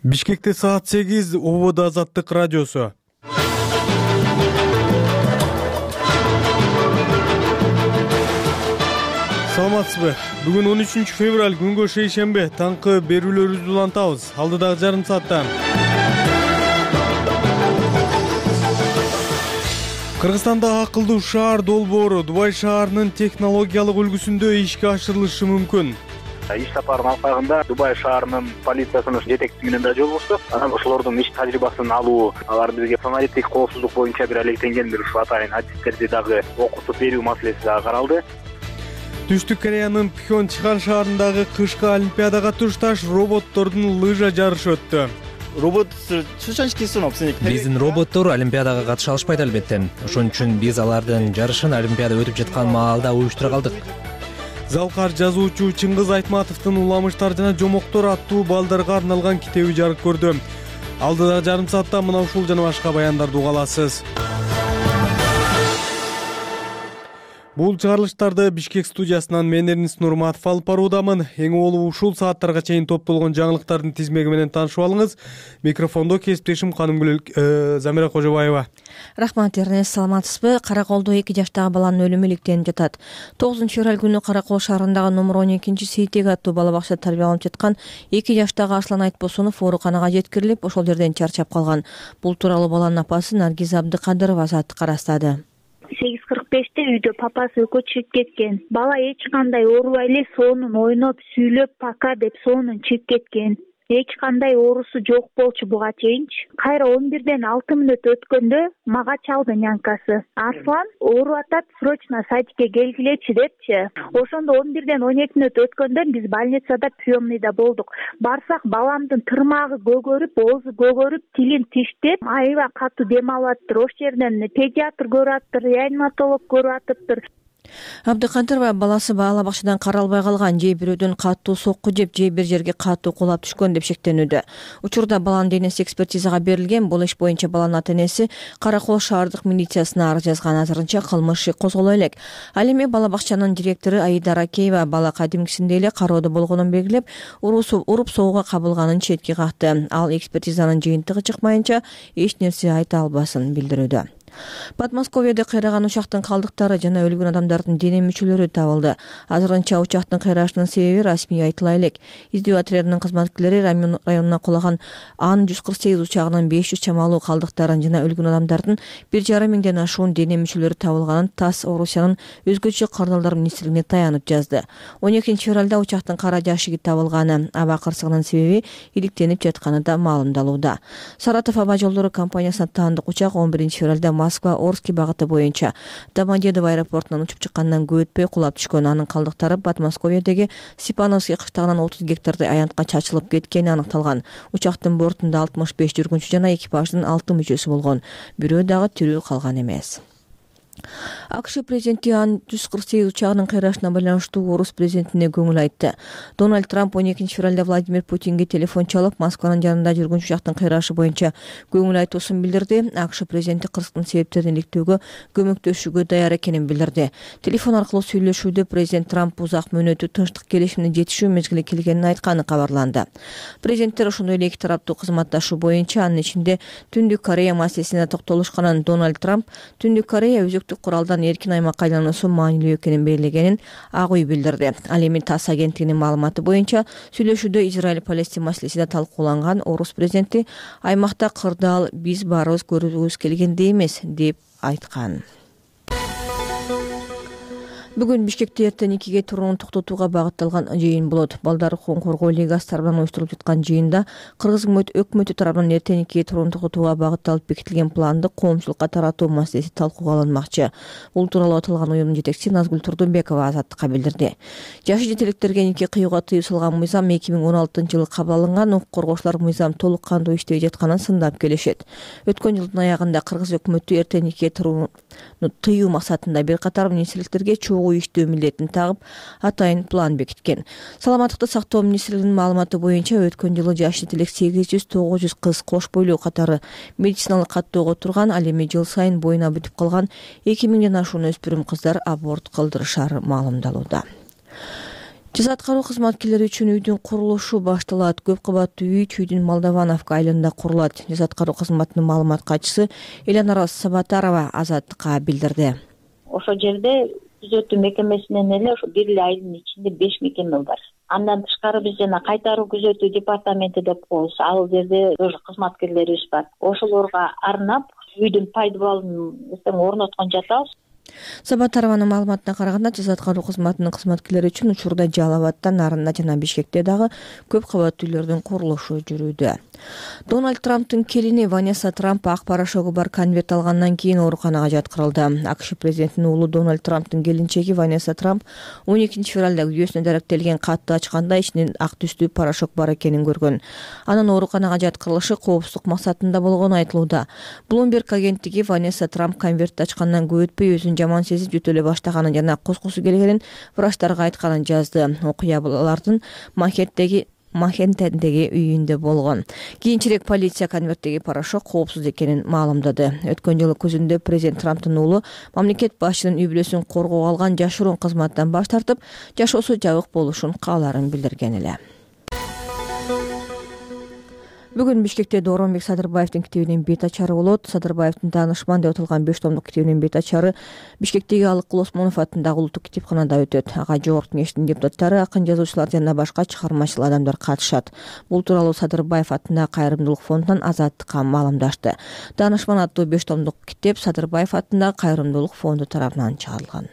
Бишкекте саат 8, Ободо Азаттык радиосу. Саламатсызбы? Бүгүн 13 февраль, күнгө шейшембе, таңкы берүүлөрүбүздү улантабыз. Алдыдагы жарым сааттан. Кыргызстанда акылдуу шаар долбоору Дубай шаарынын технологиялык үлгүсүндө ишке ашырылышы мүмкүн. Иш сапарынын алкагында Дубай шаарынын полициясынын жетекчиси менен да жолугуштук. Анан ошолордун иш тажрыйбасын алуу, алар бизге самолеттик коопсуздук боюнча бир алектенген бир ушу атайын адистерди дагы окутуп берүү маселеси дагы каралды. Түштүк Кореянын Пхёнчхан шаарындагы кышкы олимпиадага тушташ роботтордун лыжа жарышы өттү. Биздин роботтор олимпиадага катыша алышпайт албетте. Ошон үчүн биз алардын жарышын олимпиада өтүп жаткан маалда уюштура калдык. Залкар жазуучу Чыңгыз Айтматовдун Уламыштар жана жомоктор аттуу балдарга арналган китеби жарык көрдү. Алдыдагы жарым саатта мына ушул жана башка баяндарды уга аласыз. Бул чыгарылыштарды Бишкек студиясынан мен Эрнис Нурматов алып баруудамын. Эң олуу ушул сааттарга чейин топтолгон жаңылыктардын тизмеги менен таанышып алыңыз. Микрофондо кесиптешим Канымгүл Замира Кожобаева. Рахмат Эрнис, саламатсызбы? Караколдо 2 жаштагы баланын өлүмү иликтенип жатат. 9 февраль күнү Каракол шаарындагы номер 12 Сейтек аттуу бала бакчада тарбияланып жаткан 2 жаштагы Аслан Айтбосунов ооруканага жеткирилип, ошол жерден чарчап калган. Бул тууралуу баланын апасы Наргиз Абдыкадырова Азаттыкка ырастады. 8:45 үйдө папасы экөө чыгып кеткен. Бала эч кандай оорубай эле соонун ойноп, сүйлөп, пока деп соонун чыгып кеткен. Эч кандай оорусу жок болчу буга чейинчи. Кайра 11ден 6 мүнөт өткөндө мага чалды нянкасы. Аслан ооруп атат, срочно садикке келгилечи депчи. Ошондо 11ден 12 мүнөт өткөндө биз больницада приемныйда болдук. Барсак баламдын тырмагы көгөрүп, оозу көгөрүп, тилин тиштеп, аябай катуу дем алып атыптыр. Ош жерден педиатр көрүп атыптыр, реаниматолог көрүп атыптыр. Абдыкадырова баласы бала бакчадан каралбай калган, же бирөөдөн катуу сокку жеп, же бир жерге катуу кулап түшкөн деп шектенүүдө. Учурда баланын денеси экспертизага берилген. Бул иш боюнча баланын ата-энеси Каракол шаардык милициясына арыз жазган. Азырынча кылмыш иши козголо элек. Ал эми бала бакчанын директору Аида Ракеева бала кадимкисиндей эле кароодо болгонун белгилеп, уруп соого кабылганын четке какты. Ал экспертизанын жыйынтыгы чыкмайынча эч нерсе айта албасын билдирүүдө. Подмосковьеде кыйраган учактын калдыктары жана өлгөн адамдардын дене мүчөлөрү табылды. Азырынча учактын кыйрашынын себеби расмий айтыла элек. Издөө отрядынын кызматкерлери Рамин районуна кулаган Ан-148 учагынын 500 чамалуу калдыктарын жана өлгөн адамдардын 1,5 миңден ашуун дене мүчөлөрү табылганын ТАСС Орусиянын өзгөчө кардалдар министрлигине таянып жазды. 12 февралда учактын кара жашыгы табылганы, аба кырсыгынын себеби иликтенип жатканы да маалымдалууда. Саратов аба жолдору компаниясына таандык учак 11 февралда Москва Орский багыты боюнча Домодедово аэропортунан учуп чыккандан көп өтпөй кулап түшкөн. Анын калдыктары Подмосковьедеги Степановский кыштагынан 30 гектардай аянтка чачылып кеткени аныкталган. Учактын бортунда 65 жүргүнчү жана экипаждын 6 мүчөсү болгон. Бирөө дагы тирүү калган эмес. АКШ президенти Ан-148 учагынын кыйрашына байланыштуу орус президентине көңүл айтты. Дональд Трамп 12 февралда Владимир Путинге телефон чалып, Москванын жанында жүргөн учактын кыйрашы боюнча көңүл айтуусун билдирди. АКШ президенти кырсыктын себептерин иликтөөгө көмөктөшүүгө даяр экенин билдирди. Телефон аркылуу сүйлөшүүдө президент Трамп узак мөөнөттүү тынчтык келишимине жетишүү мезгили келгенин айтканы кабарланды. Президенттер ошондой эле эки тараптуу кызматташуу боюнча, анын ичинде Түндүк Корея маселесине токтолушканын Дональд Трамп Түндүк Корея куралдан эркин аймакка айлануусу маанилүү экенин белгилегенин Ак үй билдирди. Ал эми ТАСС агенттигинин маалыматы боюнча сүйлөшүүдө Израиль-Палестин маселеси да талкууланган. Орус президенти аймакта кырдаал биз баарыбыз көргүбүз келгендей эмес деп айткан. Бүгүн Бишкекте эртең 2ге турууну токтотууга багытталган жыйын болот. Балдар укугун коргоо лигасы тарабынан уюштурулуп жаткан жыйында Кыргыз өкмөтү тарабынан эртең 2ге турууну токтотууга багытталып бекитилген планды коомчулукка таратуу маселеси талкууга алынмакчы. Бул тууралуу аталган уюмдун жетекчиси Назгүл Турдунбекова Азаттыкка билдирди. Жашы жетеликтерге нике кыюуга тыюу салган мыйзам 2016-жылы кабыл алынган. Укук коргоочулар мыйзам толук кандуу иштебей жатканын сындап келишет. Өткөн жылдын аягында Кыргыз өкмөтү эртең 2ге турууну тыюу максатында бир катар министрликтерге чогуу иштөө милдетин тагып атайын план бекиткен. Саламаттыкты сактоо министрлигинин маалыматы боюнча өткөн жылы жаш жетелик 800-900 кыз кош бойлуу катары медициналык каттоого турган. Ал эми жыл сайын боюна бүтүп калган 2000ден ашуун өспүрүм кыздар аборт кылдырышары маалымдалууда. Жаза аткаруу кызматкерлери үчүн үйдүн курулушу башталат. Көп кабаттуу үй Чүйдүн Молдовановка айылында курулат. Жаза аткаруу кызматынын маалымат катчысы Элянара Сабатарова Азаттыкка билдирди. Ошол жерде түзөтүү мекемесинен эле ошо бир эле айылдын ичинде 5 мекеме бар. Андан тышкары биз жана кайтаруу күзөтүү департаменти деп коебуз. Ал жерде тоже кызматкерлерибиз бар. Ошолорго арнап үйдүн пайдубалын орноткон жатабыз. Сабатарованын маалыматына караганда, жаза аткаруу кызматынын кызматкерлери үчүн учурда Жалал Абадта, Нарында жана Бишкекте дагы көп кабаттуу үйлөрдүн курулушу жүрүүдө. Дональд Трамптын келини Ванесса Трамп ак порошогу бар конверт алгандан кийин ооруканага жаткырылды. АКШ президентинин уулу Дональд Трамптын келинчеги Ванесса Трамп 12 февралда үйөөсүнө даректелген катты ачканда ичинен ак түстүү порошок бар экенин көргөн. Анын ооруканага жаткырылышы коопсуздук максатында болгону айтылууда. Bloomberg агенттиги Ванесса Трамп конвертти ачкандан көп өтпөй өзүн жаман сезип жөтөлө баштаганын жана кускусу келгенин врачтарга айтканын жазды. Окуя алардын Манхэттендеги үйүндө болгон. Кийинчерээк полиция конверттеги порошок коопсуз экенин маалымдады. Өткөн жылы күзүндө президент Трамптын уулу мамлекет башчынын үй бүлөсүн коргоого алган жашыруун кызматтан баш тартып, жашоосу жабык болушун кааларын билдирген эле. Бүгүн Бишкекте Дооронбек Садырбаевдин китебинин бет ачары болот. Садырбаевдин таанышман деп аталган 5 томдук китебинин бет ачары Бишкектеги Алыкул Осмонов атындагы улуттук китепканада өтөт. Ага жогорку кеңештин депутаттары, акын жазуучулар жана башка чыгармачыл адамдар катышат. Бул тууралуу Садырбаев атындагы кайрымдуулук фондунан Азаттыкка маалымдашты. Таанышман аттуу 5 томдук китеп Садырбаев атындагы кайрымдуулук фонду тарабынан чыгарылган.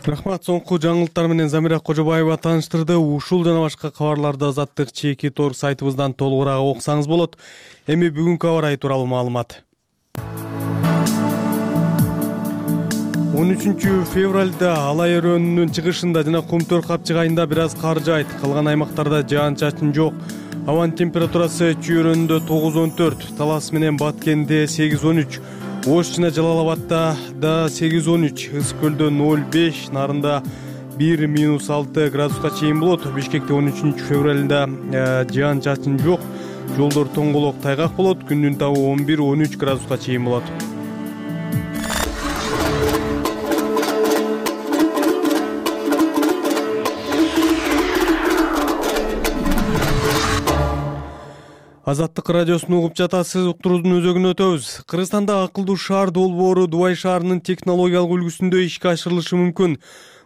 Рахмат. Соңку жаңылыктар менен Замира Кожобаева тааныштырды. Ушул жана башка кабарларды Азаттык чеки тор сайтыбыздан толугураак окусаңыз болот. Эми бүгүнкү аба ырайы тууралуу маалымат. 13 февралда Алай өрөөнүнүн чыгышында жана Кумтөр капчык айында бир аз кар жаайт. Калган аймактарда жаан-чачын жок. Абанын температурасы Чүй өрөөнүндө 9-14, Талас менен Баткенде 8-13, Ош жана Жалал Абадта да 8-13, Ысык көлдө 0-5, Нарында 1-6 градуска чейин болот. Бишкекте 13 февралында жаан-чачын жок. Жолдор тоңголок, тайгак болот. Күндүн табы 11-13 градуска чейин болот. Азаттык радиосун угуп жатасыз. Уктуруудун өзөгүнө өтөбүз. Кыргызстанда акылдуу шаар долбоору Дубай шаарынын технологиялык үлгүсүндө ишке ашырылышы мүмкүн.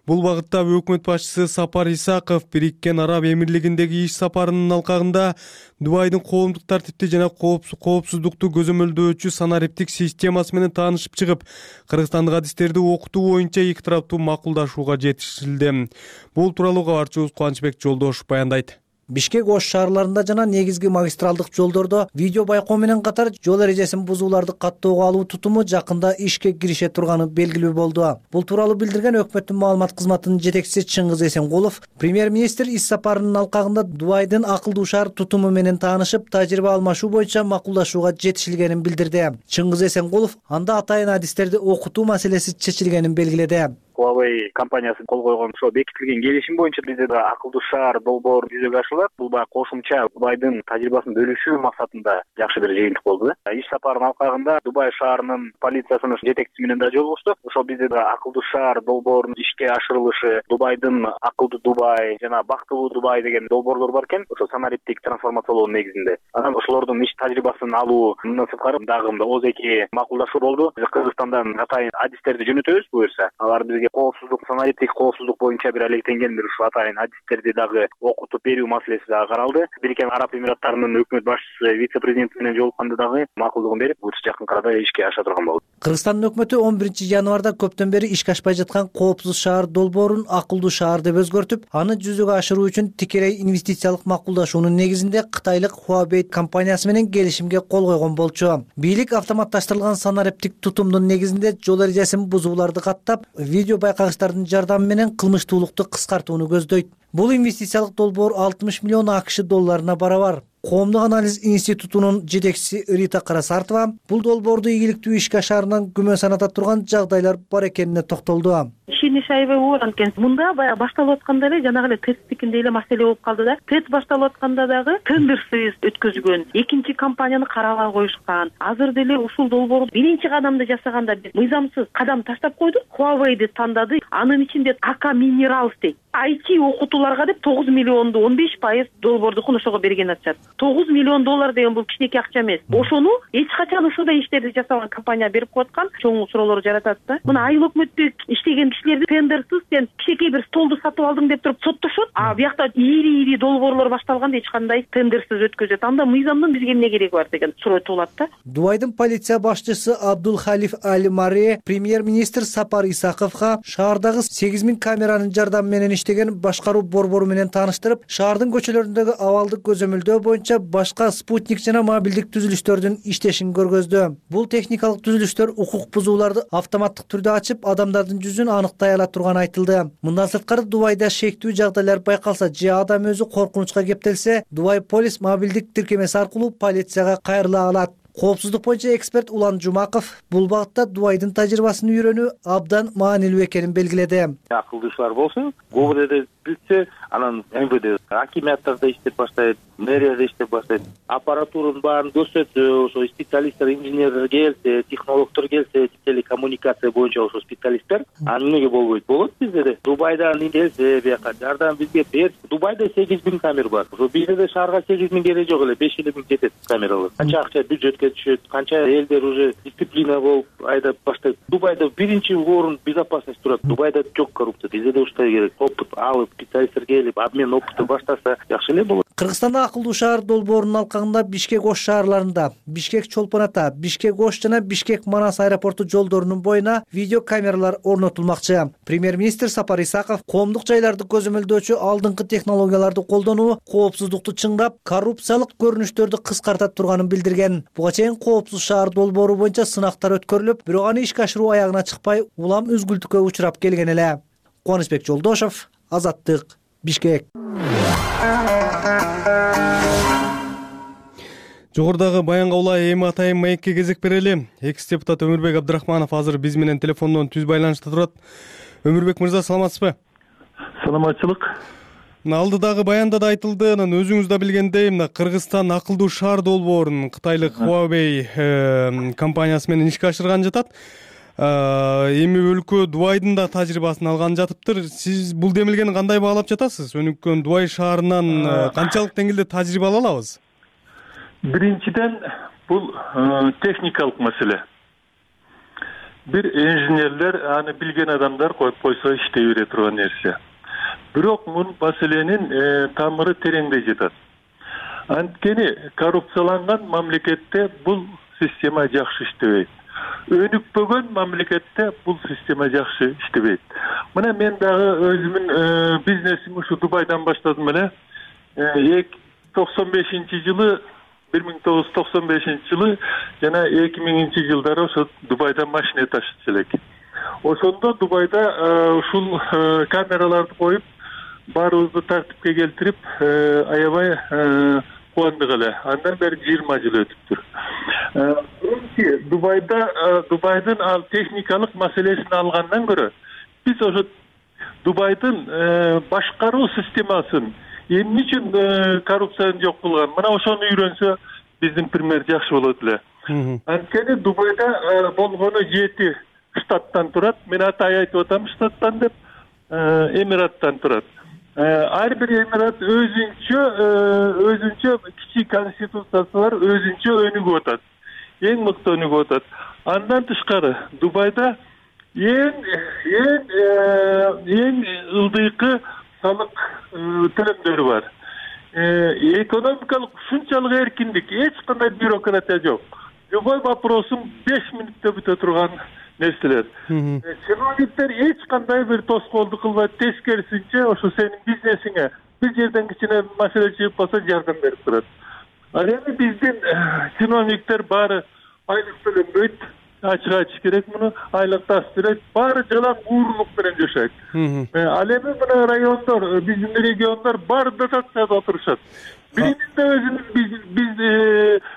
Бул багытта өкмөт башчысы Сапар Исаков Бириккен Араб Эмирлигиндеги иш сапарынын алкагында Дубайдын коомдук тартипти жана коопсуздукту көзөмөлдөөчү санариптик системасы менен таанышып чыгып, кыргызстандык адистерди окутуу боюнча эки тараптуу макулдашууга жетишилди. Бул тууралуу кабарчыбыз Кубанычбек Жолдошов баяндайт. Бишкек Ош шаарларында жана негизги магистралдык жолдордо видео байкоо менен катар жол эрежесин бузууларды каттоого алуу тутуму жакында ишке кирише турганы белгилүү болду. Бул тууралуу билдирген өкмөттүн маалымат кызматынын жетекчиси Чыңгыз Эсенкулов премьер-министр иш сапарынын алкагында Дубайдын акылдуу шаар тутуму менен таанышып, тажрыйба алмашуу боюнча макулдашууга жетишилгенин билдирди. Чыңгыз Эсенкулов анда атайын адистерди окутуу маселеси чечилгенин белгиледи. Huawei компаниясы кол койгон ошо бекитилген келишим боюнча бизде да акылдуу шаар долбоору жүзөгө ашырылат. Бул баягы кошумча Дубайдын тажрыйбасын бөлүшүү максатында жакшы бир жыйынтык болду. Иш сапарынын алкагында Дубай шаарынын полициясынын жетекчиси менен да жолугуштук. Ошо бизде да акылдуу шаар долбоорунун ишке ашырылышы, Дубайдын акылдуу Дубай жана бактылуу Дубай деген долбоорлор бар экен. Ошо санариптик трансформациялоо негизинде. Анан ошолордун иш тажрыйбасын алуу мындан сырткары дагы ооз-эки макулдашуу болду. Биз Кыргызстандан атайын адистерди жөнөтөбүз буюрса. Алар бизге коопсуздук, санариптик коопсуздук боюнча бир алектенген бир ушу атайын адистерди дагы окутуп берүү маселеси дагы каралды. Бириккен Араб Эмираттарынын өкмөт башчысы вице-президенти менен жолукканда дагы макулдугун берип, буюрса жакын арада ишке аша турган болду. Кыргызстандын өкмөтү 11 январда көптөн бери ишке ашпай жаткан коопсуз шаар долбоорун акылдуу шаар деп өзгөртүп, аны жүзөгө ашыруу үчүн тикелей инвестициялык макулдашуунун негизинде кытайлык Huawei компаниясы менен келишимге кол койгон болчу. Бийлик автоматташтырылган санариптик тутумдун негизинде жол эрежесин бузууларды каттап, видео байкагычтардын жардамы менен кылмыштуулукту кыскартууну көздөйт. Бул инвестициялык долбоор 60 миллион АКШ долларына барабар. Коомдук анализ институтунун жетекчиси Рита Карасартова бул долбоорду ийгиликтүү ишке ашаарынан күмөн саната турган жагдайлар бар экенине токтолду. Иши бир нече айбай болот. Анткени мында баягы башталып атканда эле жанагы эле тесттикиндей эле маселе болуп калды да. Тест башталып атканда дагы тендерсиз өткөзгөн, экинчи компанияны карабай коюшкан. Азыр деле ушул долбоорду биринчи кадамды жасаганда биз мыйзамсыз кадам таштап койдук. Huawei'ди тандады. Анын ичинде АК Minerals дейт. IT окутууларга деп 9 миллионду 15% долбоордукун ошого берген атышат. 9 миллион доллар деген бул кичинекей акча эмес. Ошону эч качан ушундай иштерди жасаган компания берип коюп аткан, чоң суроолор жаратат да. Мына айыл өкмөттө иштеген кишилерди тендерсиз сен кичинекей бир столду сатып алдың деп туруп соттошот. А биякта ири долбоорлор башталганда эч кандай тендерсиз өткөзөт. Анда мыйзамдын бизге эмне кереги бар деген суроо туулат да. Дубайдын полиция башчысы Абдулхалиф Аль-Маре премьер-министр Сапар Исаковго шаардагы 8000 камеранын жардамы менен иштеген башкаруу борбору менен тааныштырып, шаардын көчөлөрүндөгү абалды көзөмөлдөө боюнча башка спутник жана мобилдик түзүлүштөрдүн иштешин көргөздү. Бул техникалык түзүлүштөр укук бузууларды автоматтык түрдө ачып, адамдардын жүзүн аныктай ала турганы айтылды. Мындан сырткары Дубайда шектүү жагдайлар байкалса же адам өзү коркунучка кептелсе, Дубай полис мобилдик тиркемеси аркылуу полицияга кайрыла алат. Коопсуздук боюнча эксперт Улан Жумаков бул багытта Дубайдын тажрыйбасын үйрөнүү абдан маанилүү экенин белгиледи. Акылдуушулар болсун, ГУБД билсе, анан МВД акиматтарда иштеп баштайт, мэрияда иштеп баштайт. Аппаратуранын баарын көрсөтсө, ошо специалисттер, инженерлер келсе, технологдор келсе, телекоммуникация боюнча ошо специалисттер, анын эмнеге болбойт? Болот бизде да. Дубайдан келсе, бияка жардам бизге бер. Дубайда 8000 камера бар. Ошо бизде да шаарга 8000 керек жок эле, 5000 жетет камералар. Канча акча бюджетке түшөт, канча элдер уже дисциплина болуп айдап баштайт. Дубайда биринчи орун безопасность турат. Дубайда жок коррупция. Бизде да ушундай керек. Опыт алып, специалисттер келип, обмен опытты баштаса жакшы эле болот. Кыргызстанда акылдуу шаар долбоорунун алкагында Бишкек Ош шаарларында, Бишкек Чолпон Ата, Бишкек Ош жана Бишкек Манас аэропорту жолдорунун боюна видео камералар орнотулмакчы. Премьер-министр Сапар Исаков коомдук жайларды көзөмөлдөөчү алдыңкы технологияларды колдонуу коопсуздукту чыңдап, коррупциялык көрүнүштөрдү кыскартат турганын билдирген. Буга чейин коопсуз шаар долбоору боюнча сынактар өткөрүлүп, бирок аны ишке ашыруу аягына чыкпай, улам үзгүлтүккө учурап келген эле. Кубанычбек Жолдошов, Азаттык, Бишкек. Жогорудагы баянга улай эми атайын маекке кезек берели. Экс-депутат Өмүрбек Абдрахманов азыр биз менен телефондон түз байланышта турат. Өмүрбек мырза, саламатсызбы? Саламатчылык. Алдыдагы баянда да айтылды, анан өзүңүз да билгендей, мына Кыргызстан акылдуу шаар долбоорун Кытайлык Huawei компаниясы менен ишке ашырган жатат. Эми өлкө Дубайдын да тажрыйбасын алган жатыптыр. Сиз бул демилгени кандай баалап жатасыз? Өнүккөн Дубай шаарынан канчалык деңгээлде тажрыйба ала алабыз? Биринчиден, бул техникалык маселе. Бир инженерлер, аны билген адамдар коюп койсо иштей бере турган нерсе. Бирок бул маселенин тамыры тереңдей жатат. Анткени коррупцияланган мамлекетте бул система жакшы иштебейт. Өнүкпөгөн мамлекетте бул система жакшы иштебейт. Мына мен дагы өзүмүн бизнесимди ушу Дубайдан баштадым эле. 1995-жылы 1995-жылы жана 2000-жылдары ошо Дубайдан машина ташычу элек. Ошондо Дубайда ушул камераларды коюп, баарыбызды тартипке келтирип, аябай кубандык эле. Андан бери 20 жыл өтүптүр. Дубайдын ал техникалык маселесин алгандан көрө, биз ошо Дубайдын башкаруу системасын эмне үчүн коррупцияны жок кылган? Мына ошону үйрөнсө, биздин пример жакшы болот эле. Анткени Дубайда болгону 7 штаттан турат. Мен атай айтып атам штаттан деп, эмираттан турат. Ар бир эмират өзүнчө кичи конституциясы бар, өзүнчө өнүгүп атат. Эң мыкты өнүгүп атат. Андан тышкары Дубайда эң ылдыйкы салык төлөмдөрү бар. Экономикалык ушунчалык эркиндик, эч кандай бюрократия жок. Любой вопросун 5 мүнөттө бүтө турган нерселер. Чиновниктер эч кандай бир тоскоолдук кылбайт, тескерисинче ошо сенин бизнесиңе бир жерден кичине маселе чыгып калса жардам берип турат. Ал эми биздин чиновниктер баары айлык төлөнбөйт, ачык керек муну, айлык тас берет, баары жалаң уурлук менен жашайт. Ал эми мына райондор, биздин региондор баары дотацияда отурушат. Биринин да өзүнүн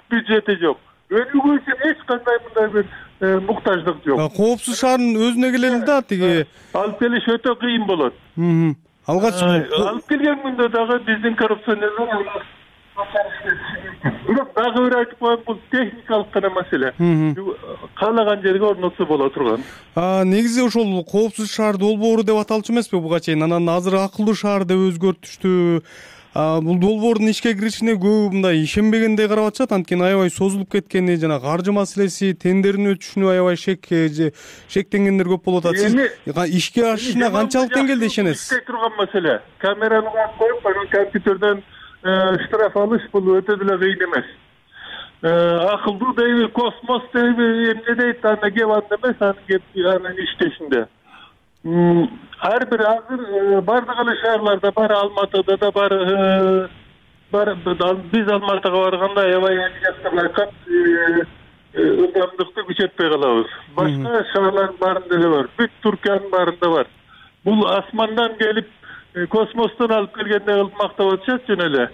бюджети жок. өнүгүү үчүн эч кандай мындай бир муктаждык жок. Коопсуз шаардын өзүнө келели да тиги алып келиш өтө кыйын болот. Алгач алып келген күндө дагы биздин коррупционерлер бирок дагы бир айтып коеюн, бул техникалык гана маселе. Каалаган жерге орнотсо боло турган. Негизи ошол коопсуз шаар долбоору деп аталчу эмеспи буга чейин? Анан азыр акылдуу шаар деп өзгөртүштү. Бул долбоордун ишке киришине көбү мындай ишенбегендей карап атышат. Анткени аябай созулуп кеткени жана каржы маселеси, тендердин өтүшүнө аябай шектенгендер көп болуп атат. Сиз ишке ашышына канчалык деңгээлде ишенесиз? Иштей турган маселе. Камераны коюп, анан компьютерден штраф алыш бул өтө деле кыйын эмес. Акылдуу дейби, космос дейби, эмне дейт, анда кеп анда эмес, анын иштешинде. Ар бир азыр бардык эле шаарларда бар, Алматыда да бар, биз Алматыга барганда аябай эмгектер байкап, ылдамдыкты күчөтпөй калабыз. Башка шаарлардын баарында деле бар, бүт Түркиянын баарында бар. Бул асмандан келип, космостон алып келгендей кылып мактап атышат жөн эле.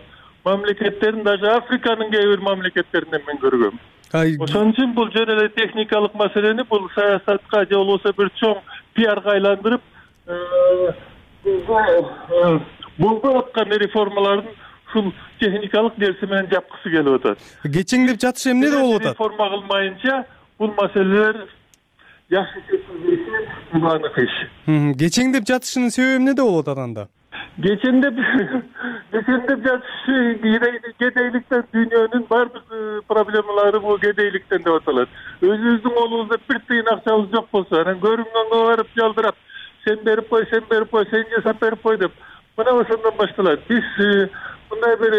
Мамлекеттерин, даже Африканын кээ бир мамлекеттеринен мен көргөм. Ошон үчүн бул жөн эле техникалык маселени бул саясатка же болбосо бир чоң пиарга айландырып, болбой аткан реформалардын ушул техникалык нерсе менен жапкысы келип атат. Кечеңдеп жатышы эмне деп болуп атат? Реформа кылмайынча бул маселелер жакшы чечилбейт, бул анык иш. Кечеңдеп жатышынын себеби эмнеде болуп атат анда? Кечеңдеп жатышы кедейликтен, дүйнөнүн бардык проблемалары бул кедейликтен деп аталат. Өзүбүздүн колубузда бир тыйын акчабыз жок болсо, анан көрүнгөнгө барып жалдырап, сен берип кой, сен жасап берип кой деп, мына ошондон башталат. Биз мындай бир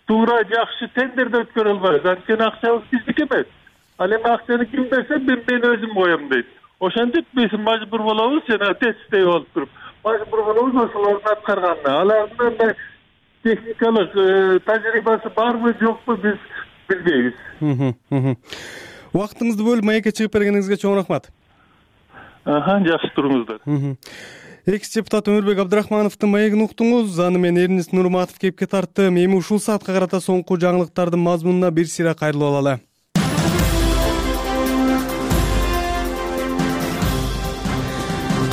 туура жакшы тендерди өткөрө албайбыз, анткени акчабыз биздики эмес. Ал эми акчаны ким берсе, мен өзүм коем дейт. Ошентип биз мажбур болобуз, жана тестей болуп туруп, мажбур болобуз ошолордун аткарганына. Алардын мындай техникалык тажрыйбасы барбы, жокпу биз билбейбиз. Убактыңызды бөлүп маекке чыгып бергениңизге чоң рахмат. Жакшы туруңуздар. Экс депутат Өмүрбек Абдрахмановдун маегин уктуңуз. Аны мен Эрнис Нурматов кепке тарттым. Эми ушул саатка карата соңку жаңылыктардын мазмунуна бир сыйра кайрылып алалы.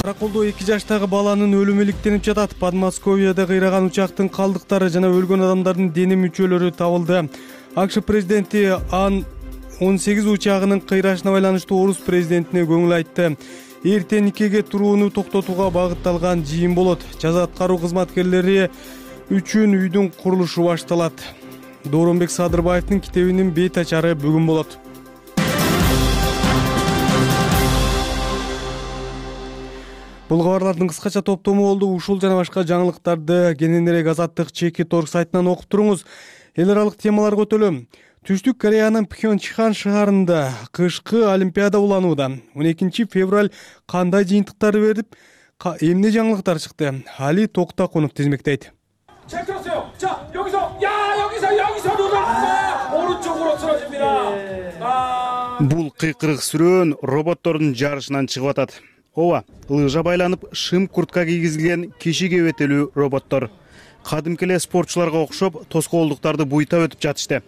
Караколдо 2 жаштагы баланын өлүмү иликтенип жатат. Подмосковьеде кыйраган учактын калдыктары жана өлгөн адамдардын дене мүчөлөрү табылды. АКШ президенти Ан-18 учагынын кыйрашына байланыштуу орус президентине көңүл айтты. Эртең никеге турууну токтотууга багытталган жыйын болот. Жаза аткаруу кызматкерлери үчүн үйдүн курулушу башталат. Дооронбек Садырбаевдин китебинин бет ачары бүгүн болот. Бул кабарлардын кыскача топтому болду. Ушул жана башка жаңылыктарды кененирээк Азаттык Чеки.org сайтынан окуп туруңуз. Эл аралык темалар көтөлөм. Түштүк Кореянын Пхёнчхан шаарында кышкы олимпиада уланууда. 12 февраль кандай жыйынтыктар берип, эмне жаңылыктар чыкты? Али Токтакунов тизмектейт. Бул кыйкырык сүрөөн роботтордун жарышынан чыгып атат. Ооба, лыжа байланып, шым куртка кийгизилген киши кебетелүү роботтор. Кадимки эле спортчуларга окшоп, тоскоолдуктарды буйтап өтүп жатышты.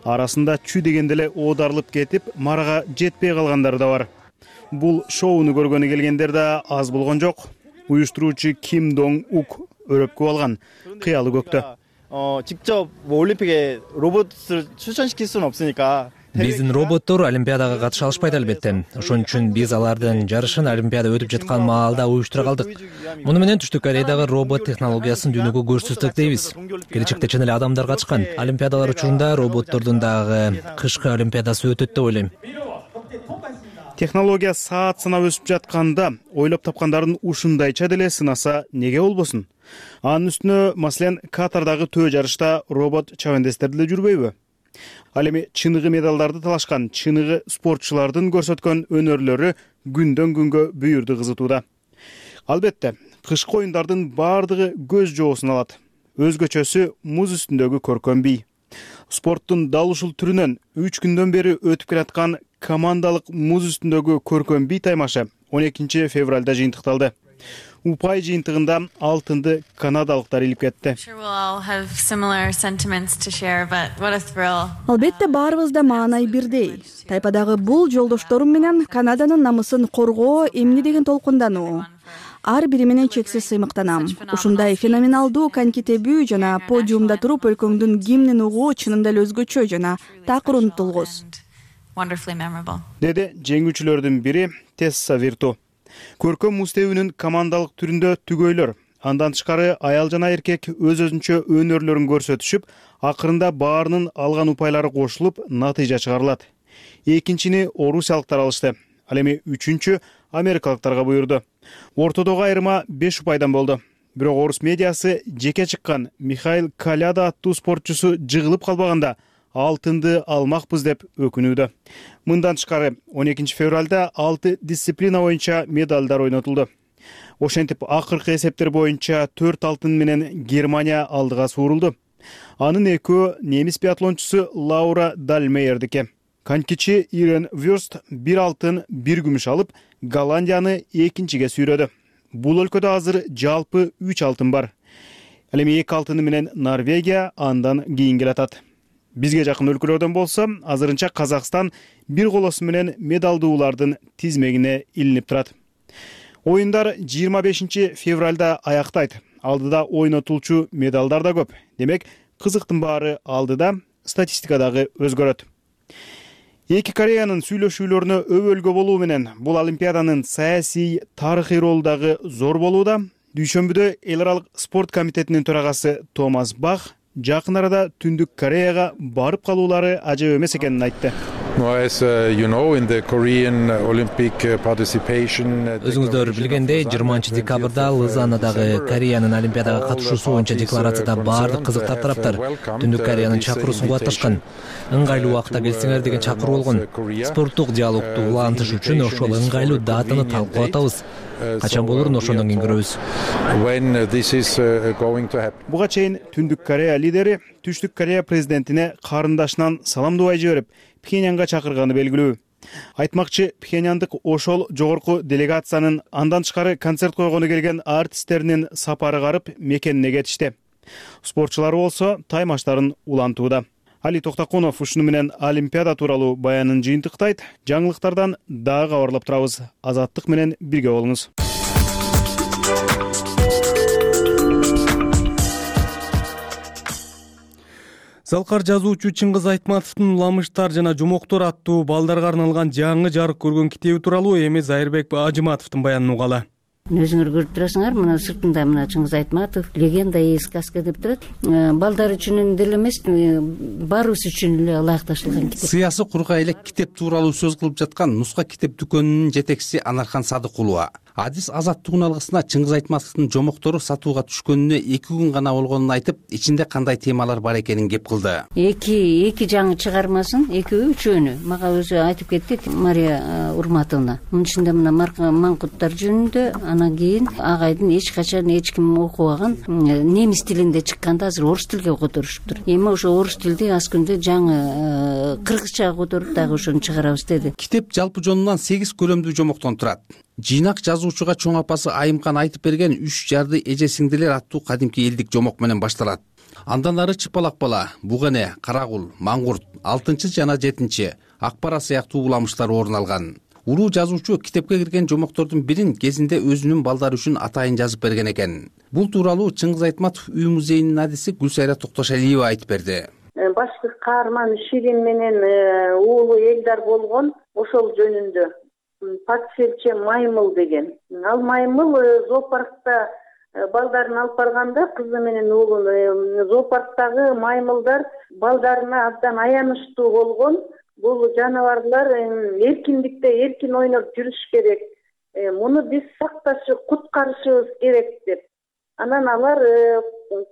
Арасында чүй дегенде эле оодарылып кетип, марага жетпей калгандар да бар. Бул шоуну көргөнү келгендер да аз болгон жок. Уюштуруучу Ким Донг Ук өрөпкө алган, кыялы көктө. 직접 올림픽에 로봇을 출전시킬 수는 없으니까 Биздин роботтор олимпиадага катыша алышпайт албетте. Ошон үчүн биз алардын жарышын олимпиада өтүп жаткан маалда уюштура калдык. Муну менен Түштүк Кореядагы робот технологиясын дүйнөгө көрсөтсөк дейбиз. Келечекте чын эле адамдар катышкан олимпиадалар учурунда роботтордун дагы кышкы олимпиадасы өтөт деп ойлойм. Технология саат сынап өсүп жатканда, ойлоп тапкандарын ушундайча деле сынаса неге болбосун? Анын үстүнө, маселен, Катардагы төө жарышта робот чабандестер деле жүрбөйбү? Ал эми чыныгы медалдарды талашкан чыныгы спортчулардын көрсөткөн өнөрлөрү күндөн күнгө бүйүрдү кызытууда. Албетте, кышкы оюндардын бардыгы көз жоосун алат. Өзгөчөсү муз үстүндөгү көркөм бий. Спорттун дал ушул түрүнөн 3 күндөн бери өтүп келаткан командалык муз үстүндөгү көркөм бий таймашы 12 февралда жыйынтыкталды. Упай жыйынтыгында алтынды канадалыктар илип кетти. Албетте баарыбызда маанай бирдей. Тайпадагы бул жолдошторум менен Канаданын намысын коргоо, эмне деген толкундануу. Ар бири менен чексиз сыймыктанам. Ушундай феноменалдуу коньки тебүү жана подиумда туруп өлкөңдүн гимнин угуу чынында эле өзгөчө жана такыр унутулгус. Деди жеңүүчүлөрдүн бири Тесса Вирту. Көркөм муз тебүүнүн командалык түрүндө түгөйлөр, андан тышкары аял жана эркек өз-өзүнчө өнөрлөрүн көрсөтүшүп, акырында баарынын алган упайлары кошулуп, натыйжа чыгарылат. Экинчини орусиялыктар алышты. Ал эми үчүнчү америкалыктарга буйрду. Ортодогу айырма 5 упайдан болду. Бирок орус медиасы жеке чыккан Михаил Коляда аттуу спортчусу жыгылып калбаганда алтынды алмакпыз деп өкүнүүдө. Мындан тышкары 12 февралда 6 дисциплина боюнча медалдар ойнотулду. Ошентип акыркы эсептер боюнча 4 алтын менен Германия алдыга суурулду. Анын экөө немис биатлончусу Лаура Дальмейердики. Конькичи Ирен Вюрст 1 алтын, 1 күмүш алып, Голландияны экинчиге сүйрөдү. Бул өлкөдө азыр жалпы 3 алтын бар. Ал эми 2 алтыны менен Норвегия андан кийин келатат. Бизге жакын өлкөлөрдөн болсо, азырынча Казакстан бир колосу менен медалдуулардын тизмегине илинип турат. Оюндар 25 февралда аяктайт. Алдыда ойнотулчу медалдар да көп. Демек, кызыктын баары алдыда, статистика дагы өзгөрөт. Эки Кореянын сүйлөшүүлөрүнө өбөлгө болуу менен бул Олимпиаданын саясий, тарыхый ролу дагы зор болууда. Дүйшөмбүдө эл аралык спорт комитетинин төрагасы Томас Бах жакын арада Түндүк Кореяга барып калуулары ажап эмес экенин айтты. Өзүңүздөр билгендей, 20 декабрда Лозаннадагы Кореянын Олимпиадага катышуусу боюнча декларацияда баардык кызыктар тараптар Түндүк Кореянын чакыруусун кубатташкан. Ыңгайлуу убакытта келсеңер деген чакыруу болгон. Спорттук диалогду улантыш үчүн ошол ыңгайлуу датаны талкуулап атабыз. Качан болорун ошондон кийин көрөбүз. Буга чейин Түндүк Корея лидери Түштүк Корея президентине карындашынан саламдубай жиберип, Пхеньянга чакырганы белгилүү. Айтмакчы, Пхеньяндык ошол жогорку делегациянын андан тышкары концерт койгону келген артисттеринин сапары карып мекенине кетишти. Спортчулар болсо таймаштарын улантууда. Али Токтокунов ушуну менен Олимпиада тууралуу баянын жыйынтыктайт. Жаңылыктардан дагы кабарлап турабыз. Азаттык менен бирге болуңуз. Залкар жазуучу Чыңгыз Айтматовдун Ламыштар жана жомоктор аттуу балдарга арналган жаңы жарык көргөн китеби тууралуу эми Зайырбек Ажыматовдун баянын угалы. Өзүңөр көрүп турасыңар, мына сыртында мына Чыңгыз Айтматов легенда и сказка деп турат. Балдар үчүн деле эмес, баарыбыз үчүн эле ылайыкташылган китеп. Сыясы кургай эле китеп тууралуу сөз кылып жаткан Нуска китеп дүкөнүнүн жетекчиси Анархан Садыкулова. Адис Азаттыгын алгысына Чыңгыз Айтматовдун жомоктору сатууга түшкөнүнө 2 күн гана болгонун айтып, ичинде кандай темалар бар экенин кеп кылды. Эки жаңы чыгармасын, экөө үчөөнү мага өзү айтып кетти Мария Урматовна. Мунун ичинде мына маңкуттар жөнүндө, анан кийин агайдын эч качан эч ким окубаган немис тилинде чыкканда азыр орус тилге которушуптур. Эми ошо орус тилди аз күндө жаңы кыргызчага которуп дагы ошону чыгарабыз деди. Китеп жалпы жонунан 8 көлөмдүү жомоктон турат. Жыйнак жазуучуга чоң апасы Айымкан айтып берген 3 жарды эже сиңдилер аттуу кадимки элдик жомок менен башталат. Андан ары Чыпалак бала, Бугане, Карагул, Маңгурт, 6 жана 7, Акбара сыяктуу уламыштар орун алган. Улуу жазуучу китепке кирген жомоктордун бирин кезинде өзүнүн балдары үчүн атайын жазып берген экен. Бул тууралуу Чыңгыз Айтматов үй музейинин адиси Гүлсайра Токтошалиева айтып берди. Башкы каарман Ширин менен уулу Элдар болгон, ошол жөнүндө Патшелче Маймыл деген. Ал Маймыл зоопаркта балдарын алып барганда, кызы менен уулун, зоопарктагы маймылдар балдарына абдан аянычтуу болгон. Бул жаныбарлар эркиндикте эркин ойноп жүрүш керек. Муну биз сакташып, куткарышыбыз керек деп. Анан алар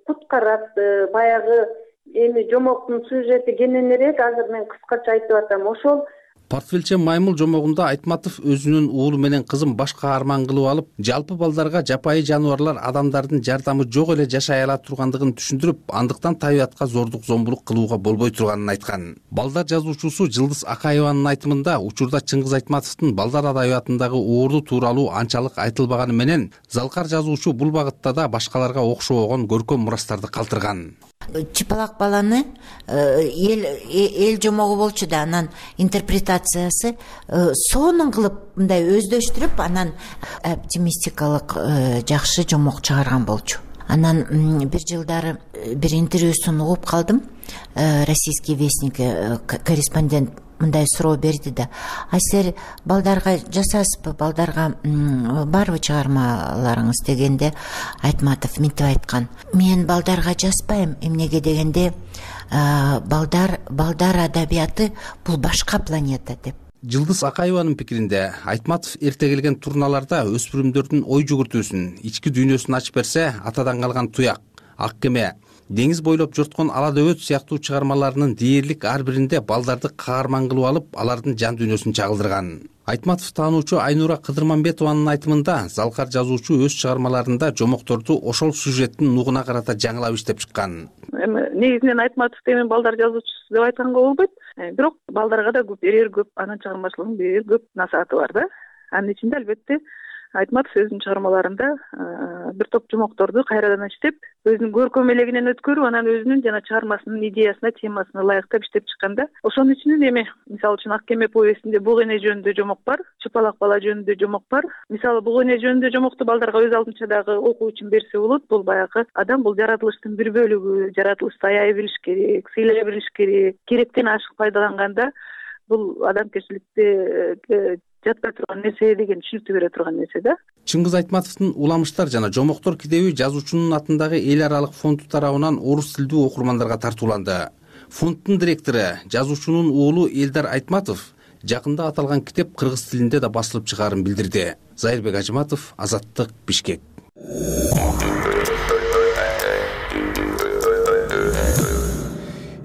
куткарат. Баягы эми жомоктун сюжети кененирээк, азыр мен кыскача айтып атам. Ошол Портфелче маймыл жомогунда Айтматов өзүнүн уулу менен кызын баш каарман кылып алып, жалпы балдарга жапайы жаныбарлар адамдардын жардамы жок эле жашай ала тургандыгын түшүндүрүп, андыктан табиятка зордук зомбулук кылууга болбой турганын айткан. Балдар жазуучусу Жылдыз Акаеванын айтымында учурда Чыңгыз Айтматовдун балдар адабиятындагы оорду тууралуу анчалык айтылбаганы менен, Залкар жазуучу бул багытта да башкаларга окшобогон көркөм мурастарды калтырган. Чыпалак баланы эл жомогу болчу да, анан интерпретациясы сонун кылып мындай өздөштүрүп, анан оптимистикалык жакшы жомок чыгарган болчу. Анан бир жылдары бир интервьюсун угуп калдым. Российский вестник корреспондент мындай суроо берди да: а силер балдарга жасайсызбы, балдарга барбы чыгармаларыңыз дегенде, Айтматов мынтип айткан: мен балдарга жазбайм, эмнеге дегенде балдар адабияты бул башка планета деп. Жылдыз Акаеванын пикиринде, Айтматов эрте келген турналарда өспүрүмдөрдүн ой жүгүртүүсүн, ички дүйнөсүн ачып берсе, атадан калган туяк, ак кеме, деңиз бойлоп жорткон ала дөбөт сыяктуу чыгармаларынын дээрлик ар биринде балдарды каарман кылып алып, алардын жан дүйнөсүн чагылдырган. Айтматов таануучу Айнура Кыдырманбетованын айтымында, Залкар жазуучу өз чыгармаларында жомокторду ошол сюжеттин нугуна карата жаңылап иштеп чыккан. Эми негизинен Айтматов эми балдар жазуучусу деп айтканга болбойт. Бирок балдарга да көп берер, көп анын чыгармачылыгынын берер көп насааты бар да. Анын ичинде албетте Айтматов өзүнүн чыгармаларында бир топ жомокторду кайрадан иштеп, өзүнүн көркөм элегинен өткөрүп, анан өзүнүн жана чыгармасынын идеясына, темасына ылайыктап иштеп чыкканда, ошонун ичинен эми мисалы үчүн Ак кеме повестинде буг эне жөнүндө жомок бар, Чыпалак бала жөнүндө жомок бар. Мисалы буг эне жөнүндө жомокту балдарга өз алдынча дагы окуу үчүн берсе болот. Бул баягы адам бул жаратылыштын бир бөлүгү, жаратылышты аяй билиш керек, сыйлай билиш керек, керектен ашык пайдаланганда бул адамгерчиликте жатпай турган нерсе деген түшүнүктү бере турган нерсе да. Чыңгыз Айтматовдун Уламыштар жана Жомоктор китеби жазуучунун атындагы эл аралык фонду тарабынан орус тилдүү окурмандарга тартууланды. Фонддун директору, жазуучунун уулу Элдар Айтматов жакында аталган китеп кыргыз тилинде да басылып чыгаарын билдирди. Зайырбек Ажыматов, Азаттык, Бишкек.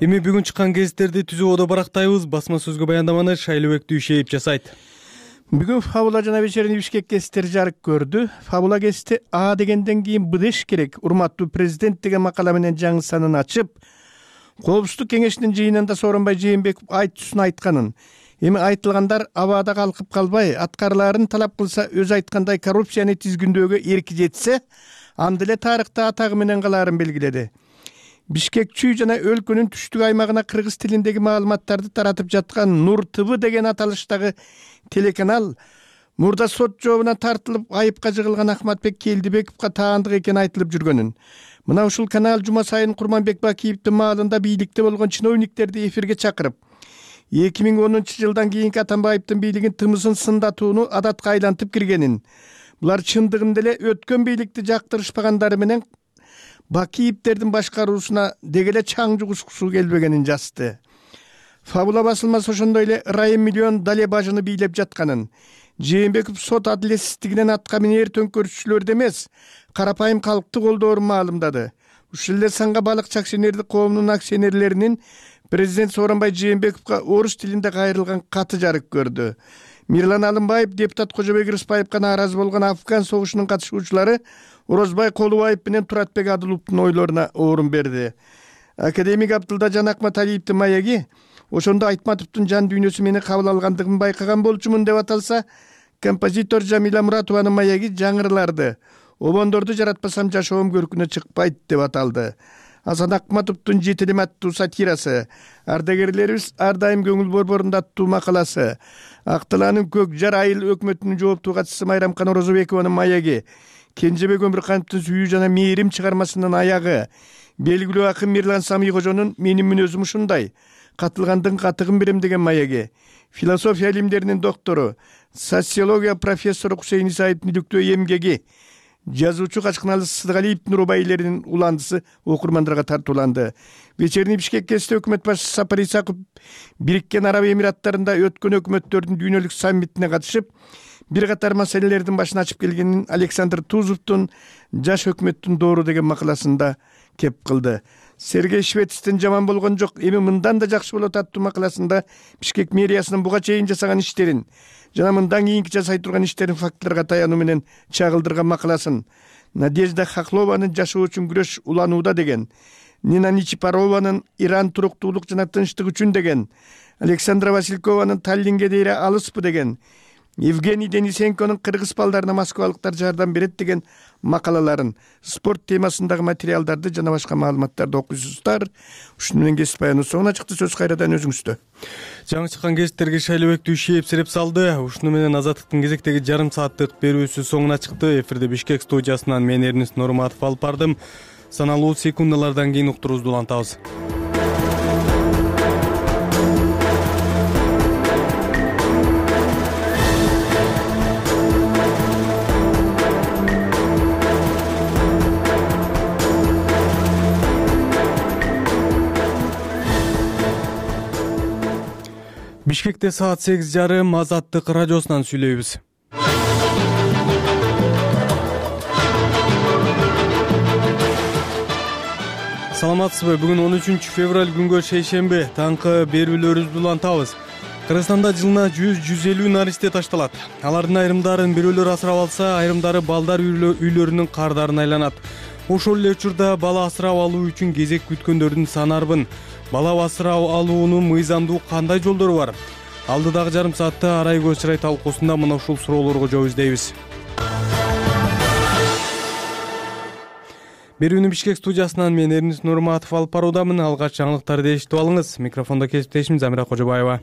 Эми бүгүн чыккан гезиттерди түзүүбөдө барактайбыз. Басма сөзгө баяндаманы Шайлыбек Дүйшеев жасайт. Бүгүн Фабула жана вечерний Бишкек гезиттери жарык көрдү. Фабула гезити А дегенден кийин Б деш керек, урматтуу президент деген макала менен жаңы санын ачып, Коопсуздук кеңешинин жыйынында Сооронбай Жээнбеков айтуусун айтканын, эми айтылгандар абада калкып калбай, аткарылаарын талап кылса, өзү айткандай коррупцияны тизгүндөөгө эрки жетсе, анда эле тарыхта атагы менен калаарын белгиледи. Бишкекчүү жана өлкөнүн түштүк аймагына кыргыз тилиндеги маалыматтарды таратып жаткан Нур ТВ деген аталыштагы телеканал мурда сот жообуна тартылып айыпка жыгылган Ахматбек Келдибековго таандык экени айтылып жүргөнүн. Мына ушул канал жума сайын Курманбек Бакиевдин маалында бийликте болгон чиновниктерди эфирге чакырып, 2010 жылдан кийинки Атамбаевдин бийлигин тымысын сындатууну адатка айлантып киргенин, булар чындыгында эле өткөн бийликти жактырышпагандары менен Бакиевдердин башкаруусуна дегеле чаң жугушкусу келбегенин жазды. Фабула басылмасы ошондой эле Райым миллион дале бажыны бийлеп жатканын, Жээнбеков сот адилетсиздигинен атка минер төңкөрүшчүлөрдү эмес, карапайым калкты колдоорун маалымдады. Ушул эле санга балыкчы акционердик коомунун акционерлеринин президент Сооронбай Жээнбековго орус тилинде кайрылган каты жарык көрдү. Мирлан Алымбаев, депутат Кожобек Рыспаевга нааразы болгон Афган согушунун катышуучулары Орозбай Колубаев менен Туратбек Адыловдун ойлоруна орун берди. Академик Абдылда Жанакмат Алиевдин маеги ошондо Айтматовдун жан дүйнөсү мени кабыл алгандыгын байкаган болчумун деп аталса, композитор Жамила Муратованын маеги жаңырыларды. Обондорду жаратпасам жашоом көркүнө чыкпайт деп аталды. Асан Акматовдун жетилим аттуу сатирасы, ардагерлерибиз ар дайым көңүл борборунда аттуу макаласы, Актылаанын көк жар айыл өкмөтүнүн жооптуу катчысы Майрамкан Орозобекованын маеги, Кенжебек Өмүркановдун Сүйүү жана мээрим чыгармасынын аягы, белгилүү акын Мирлан Сами кожонун Менин мүнөзүм ушундай, катылгандын катыгын берем деген маеги, философия илимдеринин доктору, социология профессору Кусейин Исаевдин иликтөө эмгеги, жазуучу Качкыналы Сыдыгалиевдин рубайилеринин уландысы окурмандарга тартууланды. Вечерний Бишкек гезити өкмөт башчысы Сапар Исаков Бириккен Араб Эмираттарында өткөн өкмөттөрдүн дүйнөлүк саммитине катышып, бир катар маселелердин башын ачып келгенин Александр Тузовдун Жаш өкмөттүн доору деген макаласында кеп кылды. Сергей Швецтен жаман болгон жок, эми мындан да жакшы болот аттуу макаласында Бишкек мэриясынын буга чейин жасаган иштерин жана мындан кийинки жасай турган иштерин фактыларга таянуу менен чагылдырган макаласын, Надежда Хохлованын жашоо үчүн күрөш уланууда деген, Нина Ничипарованын Иран туруктуулук жана тынчтык үчүн деген, Александра Василькованын Таллинге дейре алыспы деген, Евгений Денисенконун кыргыз балдарына москвалыктар жардам берет деген макалаларын, спорт темасындагы материалдарды жана башка маалыматтарды окуйсуздар. Ушуну менен кесип баяныбыз соңуна чыкты. Сөз кайрадан өзүңүздө. Жаңы чыккан кесиптерге Шайлебектүү иши эпсиреп салды. Ушуну менен Азаттыктын кезектеги жарым сааттык берүүсү соңуна чыкты. Эфирде Бишкек студиясынан мен Эрнис Нурматов алып бардым. Саналуу секундалардан кийин уктуруубузду улантабыз. Бишкекте саат 8:30 Азаттык радиосунан сүйлөйбүз. Саламатсызбы? Бүгүн 13 февраль күнгө шейшемби. Таңкы берүүлөрүбүздү улантабыз. Кыргызстанда жылына 100-150 наристе ташталат. Алардын айрымдарын бирөөлөр асырап алса, айрымдары балдар үйлөрүнүн кардарына айланат. Ошол эле учурда бала асырап алуу үчүн кезек күткөндөрдүн саны арбын. Бала асырап алуунун мыйзамдуу кандай жолдору бар? Алдыдагы жарым саатта Арай көз чырай талкуусунда мына ушул суроолорго жооп издейбиз. Берүүнү Бишкек студиясынан мен Эрнис Нурматов алып баруудамын. Алгач жаңылыктарды эшитип алыңыз. Микрофондо кесиптешим Замира Кожобаева.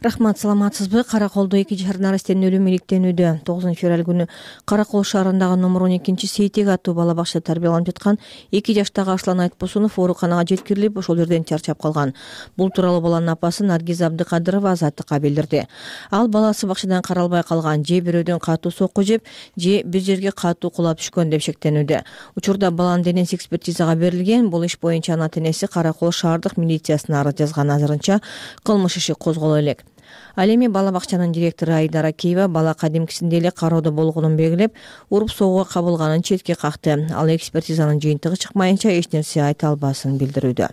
Рахмат, саламатсызбы? Караколдо 2 жашар наристенин өлүмү иликтенүүдө. 9 февраль күнү Каракол шаарындагы номер 12 Сейтек аттуу бала бакчада тарбияланып жаткан 2 жаштагы Аслан Айтбосунов ооруканага жеткирилип, ошол жерден чарчап калган. Бул тууралуу баланын апасы Наргиз Абдыкадырова Азаттыкка билдирди. Ал баласы бакчадан каралбай калган, же бирөөдөн катуу сокку жеп, же бир жерге катуу кулап түшкөн деп шектенүүдө. Учурда баланын денеси экспертизага берилген. Бул иш боюнча ана энеси Каракол шаардык милициясына арыз жазган. Азырынча кылмыш иши козголо элек. Ал эми бала бакчанын директору Айдара Киева бала кадимкисиндей эле кароодо болгонун белгилеп, уруп согууга кабылганын четке какты. Ал экспертизанын жыйынтыгы чыкмайынча эч нерсе айта албасын билдирүүдө.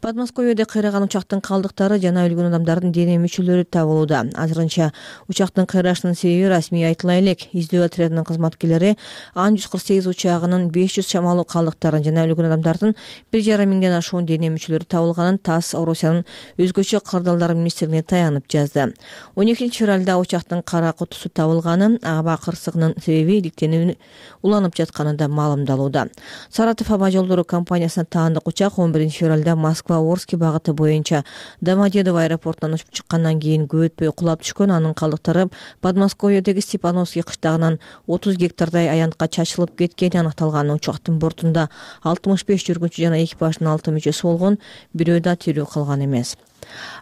Подмосковьеде кыйраган учактын калдыктары жана өлгөн адамдардын дене мүчөлөрү табылууда. Азырынча учактын кыйрашынын себеби расмий айтыла элек. Издөө отрядынын кызматкерлери Ан-148 учагынын 500 чамалуу калдыктарын жана өлгөн адамдардын 1,5 миңден ашуун дене мүчөлөрү табылганын ТАСС Орусиянын өзгөчө кырдаалдар министрлигине таянып жазды. 12 февралда учактын кара кутусу табылганы, аба кырсыгынын себеби иликтенүү уланып жатканы да маалымдалууда. Саратов аба жолдору компаниясына таандык учак 11 февралда Москва-Орский багыты боюнча Домодедово аэропортунан учуп чыккандан кийин көп өтпөй кулап түшкөн. Анын калдыктары Подмосковьедеги Степановский кыштагынан 30 гектардай аянтка чачылып кеткени аныкталган. Учактын бортунда 65 жүргүнчү жана экипаждын 6 мүчөсү болгон, бирөө да тирүү калган эмес.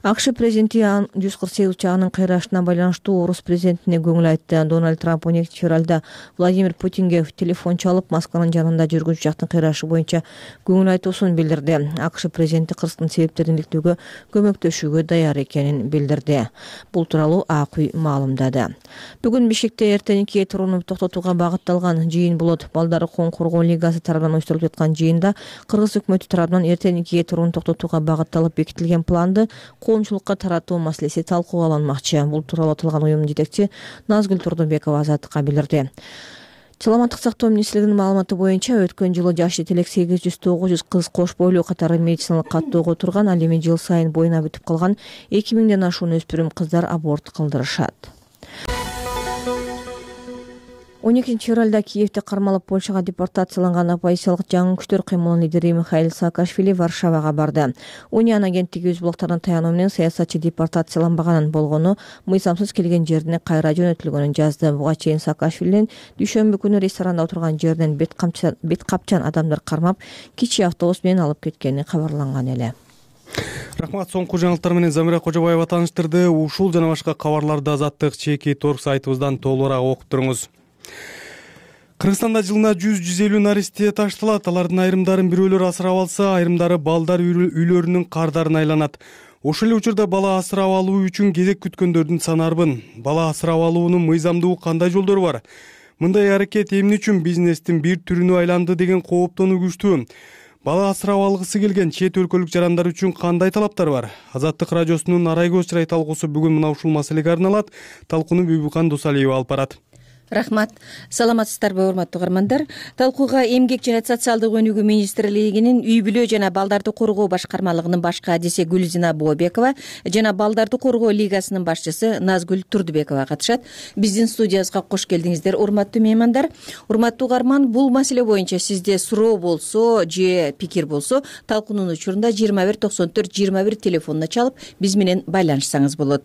АКШ президенти Ан-148 учагынын кыйрашына байланыштуу орус президентине көңүл айтты. Дональд Трамп 12 февралда Владимир Путинге телефон чалып, Москванын жанында жүргүнчү учактын кыйрашы боюнча көңүл айтуусун билдирди. АКШ президенти кырсыктын себептерин иликтөөгө көмөктөшүүгө даяр экенин билдирди. Бул тууралуу АК маалымдады. Бүгүн Бишкекте эртеңки турууну токтотууга багытталган жыйын болот. Балдар укугун коргоо лигасы тарабынан уюштурулуп жаткан жыйында Кыргыз өкмөтү тарабынан эртеңки турууну токтотууга багытталып бекитилген планды коомчулукка таратуу маселеси талкууланмакчы. Бул тууралуу аталган уюмдун жетекчиси Назгүл Турдубекова Азаттыкка билдирди. Саламаттык сактоо министрлигинин маалыматы боюнча өткөн жылы жашы жетелек 800-900 кыз кош бойлуу катары медициналык каттоого турган. Ал эми жыл сайын боюна бүтүп калган 2000ден ашуун өспүрүм кыздар аборт кылдырышат. 12 февралда Киевде кармалып Польшага депортацияланган оппозициялык жаңы күчтөр кыймылынын лидери Михаил Саакашвили Варшавага барды. Униан агенттиги өз булактарына таянуу менен саясатчы депортацияланбаганын болгону, мыйзамсыз келген жерине кайра жөнөтүлгөнүн жазды. Буга чейин Саакашвилинин дүйшөмбү күнү ресторанда отурган жерден бет капчан адамдар кармап, кичи автобус менен алып кеткени кабарланган эле. Рахмат, соңку жаңылыктар менен Замира Кожобаева тааныштырды. Ушул жана башка кабарларды Азаттык чеки торг сайтыбыздан толугураак окуп туруңуз. Кыргызстанда жылына 100-150 наристе ташталат. Алардын айрымдарын бирөөлөр асырап алса, айрымдары балдар үйлөрүнүн кардарына айланат. Ошол эле учурда бала асырап алуу үчүн кезек күткөндөрдүн саны арбын. Бала асырап алуунун мыйзамдуу кандай жолдору бар? Мындай аракет эмне үчүн бизнестин бир түрүнө айланды деген кооптонуу күчтүү. Бала асырап алгысы келген чет өлкөлүк жарандар үчүн кандай талаптар бар? Азаттык радиосунун Арай көз чырай талкуусу бүгүн мына ушул маселеге арналат. Талкууну Бүбүкан Дусалиева алып барат. Рахмат. Саламатсыздарбы, урматтуу угармандар? Талкууга Эмгек жана социалдык өнүгүү министрлигинин үй бүлө жана балдарды коргоо башкармалыгынын башкы адиси Гүлзина Бообекова жана балдарды коргоо лигасынын башчысы Назгүл Турдубекова катышат. Биздин студиябызга кош келдиңиздер, урматтуу меймандар. Урматтуу угарман, бул маселе боюнча сизде суроо болсо же пикир болсо, талкуунун учурунда 21 94 21 телефонуна чалып биз менен байланышсаңыз болот.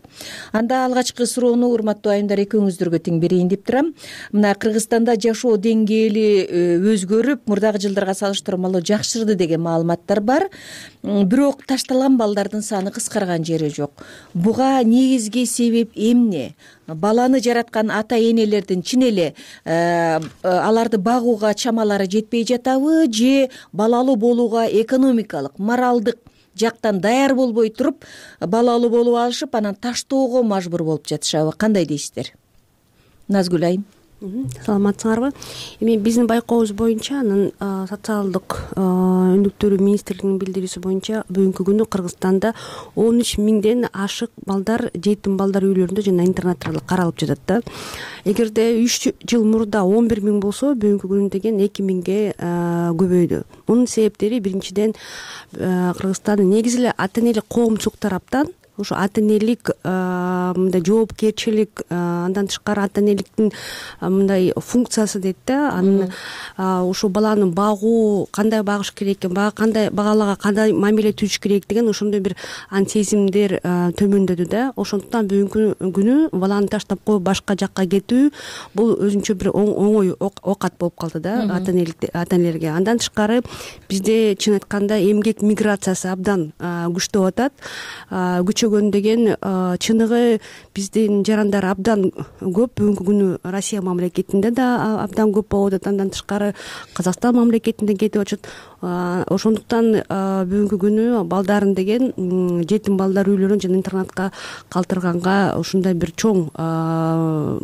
Анда алгачкы суроону, урматтуу айымдар, экөөңүздөргө тең берейин деп турам. Мына Кыргызстанда жашоо деңгээли өзгөрүп, мурдагы жылдарга салыштырмалуу жакшырды деген маалыматтар бар. Бирок ташталган балдардын саны кыскарган жери жок. Буга негизги себеп эмне? Баланы жараткан ата-энелердин чын эле аларды багууга чамалары жетпей жатабы, же балалуу болууга экономикалык, моралдык жактан даяр болбой туруп, балалуу болуп алышып, анан таштоого мажбур болуп жатышабы? Кандай дейсиздер? Назгүл айым. Саламатсыңарбы? Эми биздин байкообуз боюнча, анын социалдык өнүктүрүү министрлигинин билдирүүсү боюнча бүгүнкү күнү Кыргызстанда 13 миңден ашык балдар жетим балдар үйлөрүндө жана интернаттарда каралып жатат да. Эгерде 3 жыл мурда 11 миң болсо, бүгүнкү күнү деген 2 миңге көбөйдү. Мунун себептери биринчиден Кыргызстандын негизи эле ата-энелик коомчулук тараптан ошо ата-энелик мындай жоопкерчилик, андан тышкары ата-энеликтин мындай функциясы дейт да. Анын ошо баланы багуу, кандай багыш керек экен, багалага кандай мамиле түзүш керек деген ошондой бир сезимдер төмөндөдү да. Ошондуктан бүгүнкү күнү баланы таштап коюп башка жакка кетүү бул өзүнчө бир оңой окат болуп калды да ата-энелерге. Андан тышкары бизде чын айтканда эмгек миграциясы абдан күчтөп атат. Көчөгөн деген чыныгы биздин жарандар абдан көп. Бүгүнкү күнү Россия мамлекетинде да абдан көп болуп атат. Андан тышкары Казакстан мамлекетинде кетип атышат. Ошондуктан бүгүнкү күнү балдарын деген жетим балдар үйлөрүн жана интернатка калтырганга ушундай бир чоң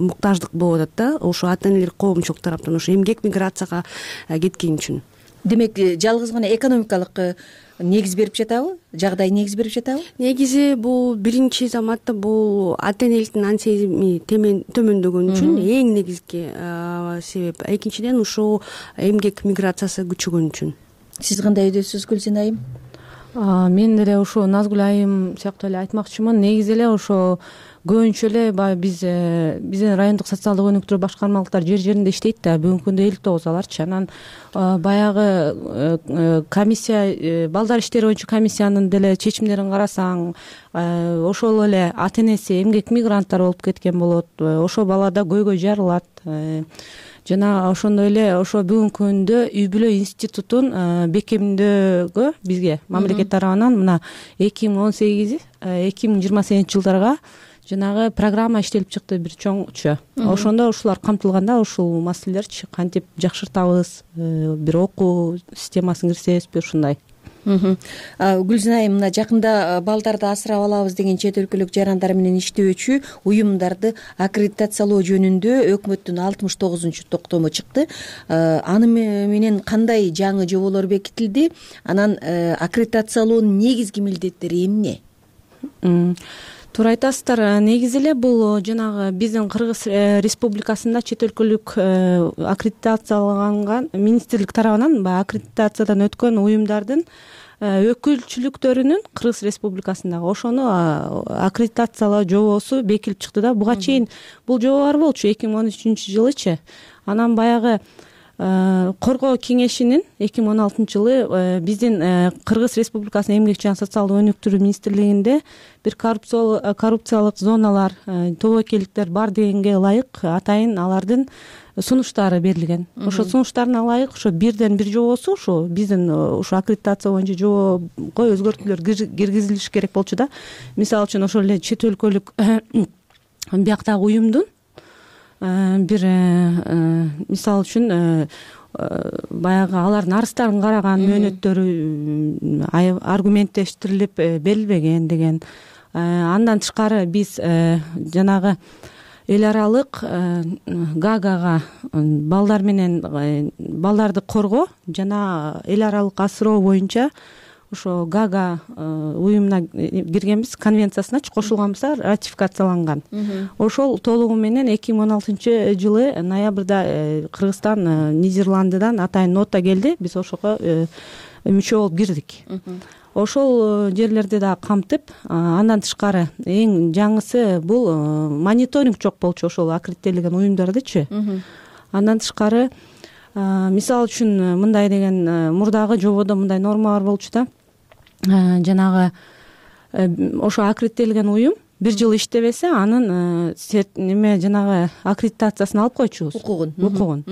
муктаждык болуп атат да. Ошо ата-энелер коомчулук тараптан ошо эмгек миграцияга кеткен үчүн. Демек, жалгыз гана экономикалык негиз берип жатабы? Жагдай негиз берип жатабы? Негизи бул биринчи заматта бул ата-энеликтин сезими төмөндөгөн үчүн эң негизги себеп. Экинчиден ушул эмгек миграциясы күчөгөн үчүн. Сиз кандай өйдөсүз, Гүлзина айым? Мен деле ошо Назгүл айым сыяктуу эле айтмакчымын. Негизи эле ошо көбүнчө эле баягы биздин райондук социалдык өнүктүрүү башкармалыктар жер жеринде иштейт да. Бүгүнкү күндө 59 аларчы. Анан баягы комиссия, балдар иштери боюнча комиссиянын деле чечимдерин карасаң, ошол эле ата-энеси эмгек мигранттар болуп кеткен болот. Ошо бала да көйгөй жарылат. Жана ошондой эле ошо бүгүнкү күндө үй бүлө институтун бекемдөөгө бизге мамлекет тарабынан мына 2018-2028 жылдарга жанагы программа иштелип чыкты, бир чоңчу. Ошондо ушулар камтылганда ушул маселелерчи кантип жакшыртабыз, бир окуу системасын киргизебизби, ушундай. Гүлзина айым, мына жакында балдарды асырап алабыз деген чет өлкөлүк жарандар менен иштөөчү уюмдарды аккредитациялоо жөнүндө өкмөттүн 69-токтому чыкты. Аны менен кандай жаңы жоболор бекитилди? Анан аккредитациялоонун негизги милдеттери эмне? Туура айтасыздар. Негизи эле бул жанагы биздин Кыргыз Республикасында чет өлкөлүк аккредитацияланган министрлик тарабынан баягы аккредитациядан өткөн уюмдардын өкүлчүлүктөрүнүн Кыргыз Республикасындагы ошону аккредитациялоо жобосу бекилип чыкты да. Буга чейин бул жобо бар болчу 2013-жылычы. Анан баягы коргоо кеңешинин 2016 жылы биздин Кыргыз Республикасынын эмгек жана социалдык өнүктүрүү министрлигинде бир коррупциялык зоналар, тобокелдиктер бар дегенге ылайык атайын алардын сунуштары берилген. Ошо сунуштарына ылайык ошо бирден бир жобосу ушу биздин ушу аккредитация боюнча жобого өзгөртүүлөр киргизилиш керек болчу да. Мисалы үчүн ошол эле чет өлкөлүк бияктагы уюмдун бир мисалы үчүн баягы алардын арыздарын караган мөөнөттөрү аргументтештирилип берилбеген деген. Андан тышкары биз жанагы эл аралык гаагага балдар менен балдарды коргоо жана эл аралык асыроо боюнча ошо Гага уюмуна киргенбиз, конвенциясыначы кошулганбыз, ратификацияланган. Ошол толугу менен 2016 жылы ноябрда Кыргызстан Нидерландыдан атайын нота келди, биз ошого мүчө болуп кирдик. Ошол жерлерди да камтып, андан тышкары эң жаңысы бул мониторинг жок болчу ошол аккредиттелген уюмдардычы. Андан тышкары мисалы үчүн мындай деген мурдагы жободо мындай нормалар болчу да, жанагы ошо аккредиттелген уюм 1 жыл иштебесе анын неме жанагы аккредитациясын алып койчубуз, укугун.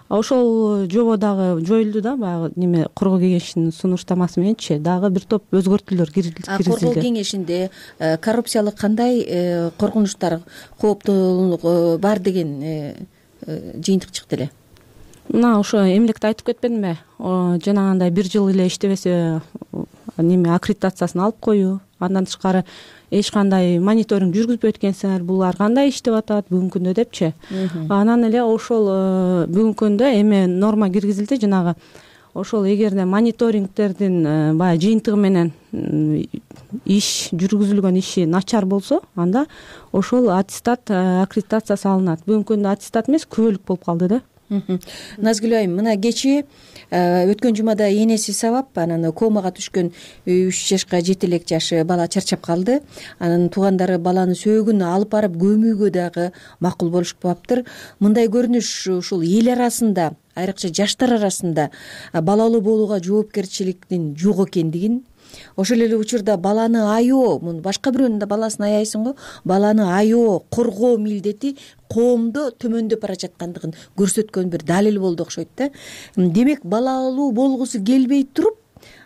Ошол жобо дагы жоюлду да, баягы неме коргоо кеңешинин сунуштамасы мененчи дагы бир топ өзгөртүүлөр киргизилди. Коргоо кеңешинде коррупциялык кандай коркунучтар, кооптуулук бар деген жыйынтык чыкты эле. Мына ошо эмлекте айтып кетпедимби? Жанагындай 1 жыл эле иштебесе неме аккредитациясын алып коюу, андан тышкары эч кандай мониторинг жүргүзбөйт экенсиңер, булар кандай иштеп атат бүгүнкү күндө депчи. Анан эле ошол бүгүнкү күндө эме норма киргизилди, жанагы ошол эгерде мониторингтердин баягы жыйынтыгы менен иш жүргүзүлгөн иши начар болсо, анда ошол аттестат аккредитациясы алынат. Бүгүнкү күндө аттестат эмес, күбөлүк болуп калды да. Назгүл айым, мына кечээ өткөн жумада энеси сабап анан комага түшкөн 3 жашка 7 элек жашы бала чарчап калды. Анын туугандары баланы сөөгүн алып барып көмүүгө дагы макул болушпаптыр. Мындай көрүнүш ушул эл арасында, айрыкча жаштар арасында балалуу болууга жоопкерчиликтин жок экендигин, ошол эле учурда баланы аябоо, башка бирөөнүн да баласын аяйсың го, баланы аябоо, коргоо милдети коомдо төмөндөп бара жаткандыгын көрсөткөн бир далил болду окшойт да. Демек, балалуу болгусу келбей туруп,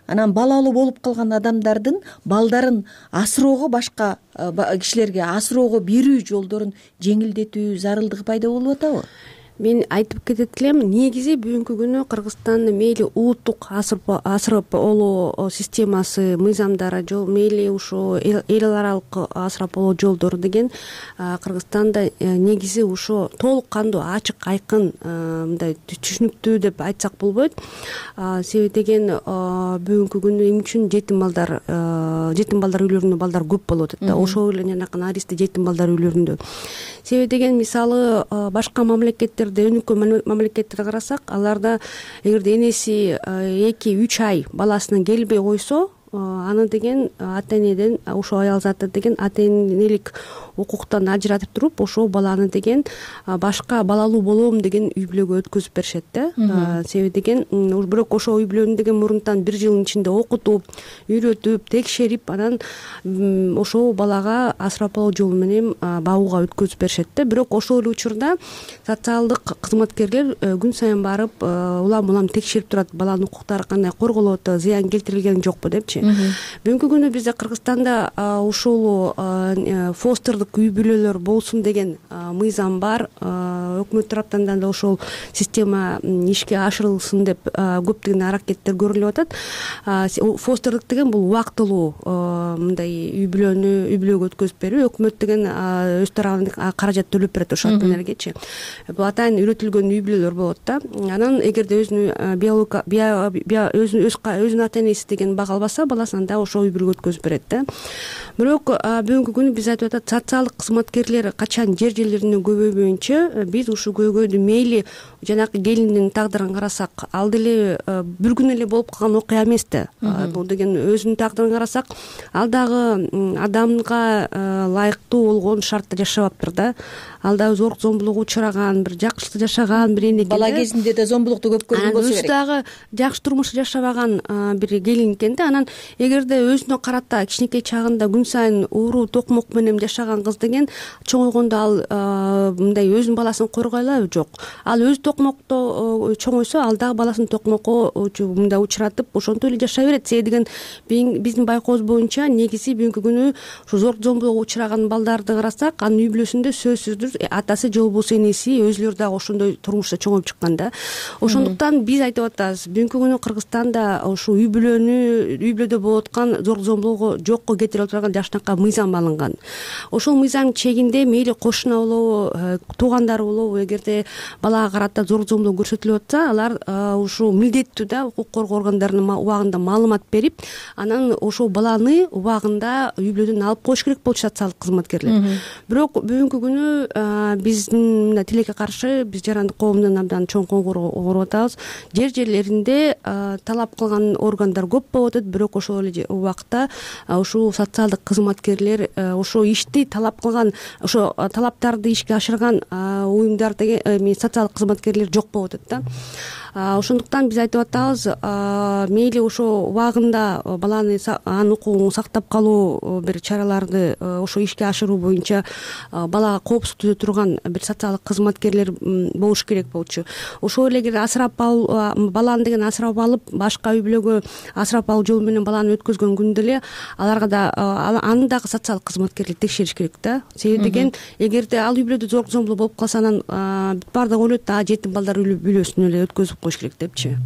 анан балалуу болуп калган адамдардын балдарын асыроого, башка кишилерге асыроого берүү жолдорун жеңилдетүү зарылдыгы пайда болуп атабы? Мен айтып кетет элем, негизи бүгүнкү күнү Кыргызстанда мейли улуттук асырап алуу системасы, мыйзамдары, мейли ушо эл аралык асырап алуу жолдору деген Кыргызстанда негизи ушо толук кандуу, ачык, айкын, мындай түшүнүктүү деп айтсак болбойт. Себеби деген бүгүнкү күнү эң үчүн жетим балдар үйлөрүндө балдар көп болуп атат да. Ошол эле жанакы наристе жетим балдар үйлөрүндө. Себеби деген мисалы башка мамлекеттерде, өнүккөн мамлекеттерди карасак, аларда эгерде энеси 2-3 ай баласына келбей койсо, аны деген ата энеден, ошо аял заты деген ата энелик укуктан ажыратып туруп, ошол баланы деген башка балалуу болом деген үй бүлөгө өткөзүп беришет да. Себеби деген бирок ошол үй бүлөнү деген мурунтан 1 жылдын ичинде окутуп, үйрөтүп, текшерип, анан ошол балага асырап алуу жолу менен багууга өткөзүп беришет да. Бирок ошол эле учурда социалдык кызматкерлер күн сайын барып, улам текшерип турат, баланын укуктары кандай корголуп атат, зыян келтирилген жокпу депчи. Бүгүнкү күнү бизде Кыргызстанда ушул фостердик үй бүлөлөр болсун деген мыйзам бар. Өкмөт тараптан да ошол система ишке ашырылсын деп көптөгөн аракеттер көрүлүп атат. Фостердик деген бул убактылуу мындай үй бүлөгө өткөзүп берүү. Өкмөт деген өз тарабынан каражат төлөп берет ошол ата энелергечи. Бул атайын үйрөтүлгөн үй бүлөлөр болот да. Анан эгерде өзүнүн ата энеси деген бага албаса, баласын да ошол үй бүлөгө өткөзүп берет да. Бирок бүгүнкү күнү биз айтып атат, социалдык кызматкерлер качан жер жерлеринин көбөйбөйүнчө биз ушул көйгөйдү мейли жанакы келиндин тагдырын карасак, ал деле бир күн эле болуп калган окуя эмес да. Бул деген өзүнүн тагдырын карасак, ал дагы адамга ылайыктуу болгон шартта жашабаптыр да. Ал дагы зорлук зомбулукка учураган, бир жакшылыкта жашаган бир эне экен. Бала кезинде да зомбулукту көп көргөн болсо керек. Өзү дагы жакшы турмуш жашабаган бир келин экен да. Анан эгерде өзүнө карата кичинекей чагында күн сайын ууруу токмок менен жашаган кыз деген чоңойгондо ал мындай өзүнүн баласын коргой алабы? Жок. Ал өзү токмокто чоңойсо, ал дагы баласын токмокко мындай учуратып, ошентип эле жашай берет. Себеби деген биздин байкообуз боюнча негизи бүгүнкү күнү ушу зорлук зомбулукка учураган балдарды карасак, анын үй бүлөсүндө сөзсүздүр атасы же болбосо энеси өзүлөрү дагы ошондой турмушта чоңоюп чыккан да. Ошондуктан биз айтып атабыз, бүгүнкү күнү Кыргызстанда ушу үй бүлөдө болуп аткан зорлук зомбулугу жокко кетирип турган жашынакка мыйзам алынган. Ошол мыйзам чегинде мейли кошуна болобу, туугандары болобу, эгерде балага карата зор зомбулук көрсөтүлүп атса, алар ушул милдеттүү да укук коргоо органдарынын убагында маалымат берип, анан ошол баланы убагында үй бүлөдөн алып коюш керек болчу социалдык кызматкерлер. Бирок бүгүнкү күнү биздин мына тилекке каршы биз жарандык коомдон абдан чоң коңгуроо атабыз. Жерлеринде талап кылган органдар көп болуп атат, бирок ошол эле убакта ушул социалдык кызматкерлер ошол ишти талап кылган, ошо талаптарды ишке ашырган уюмдар деген социалдык кызматкерлер жок болуп атат да. Ошондуктан биз айтып атабыз, мейли ошо убагында баланы анын укугун сактап калуу бир чараларды ошо ишке ашыруу боюнча балага коопсуздук түзө турган бир социалдык кызматкерлер болуш керек болчу. Ошол эле эгер асырап алуу, баланы деген асырап алып, башка үй бүлөгө асырап алуу жолу менен баланы өткөзгөн күндө эле аларга да аны дагы социалдык кызматкерлер текшериш керек да. Себеби деген, эгерде ал үй бүлөдө зор зомбулук болуп калса, анан бүт баардыгы ойлойт, жетим балдар үй бүлөсүн эле өткөзүп коюш керек депчи.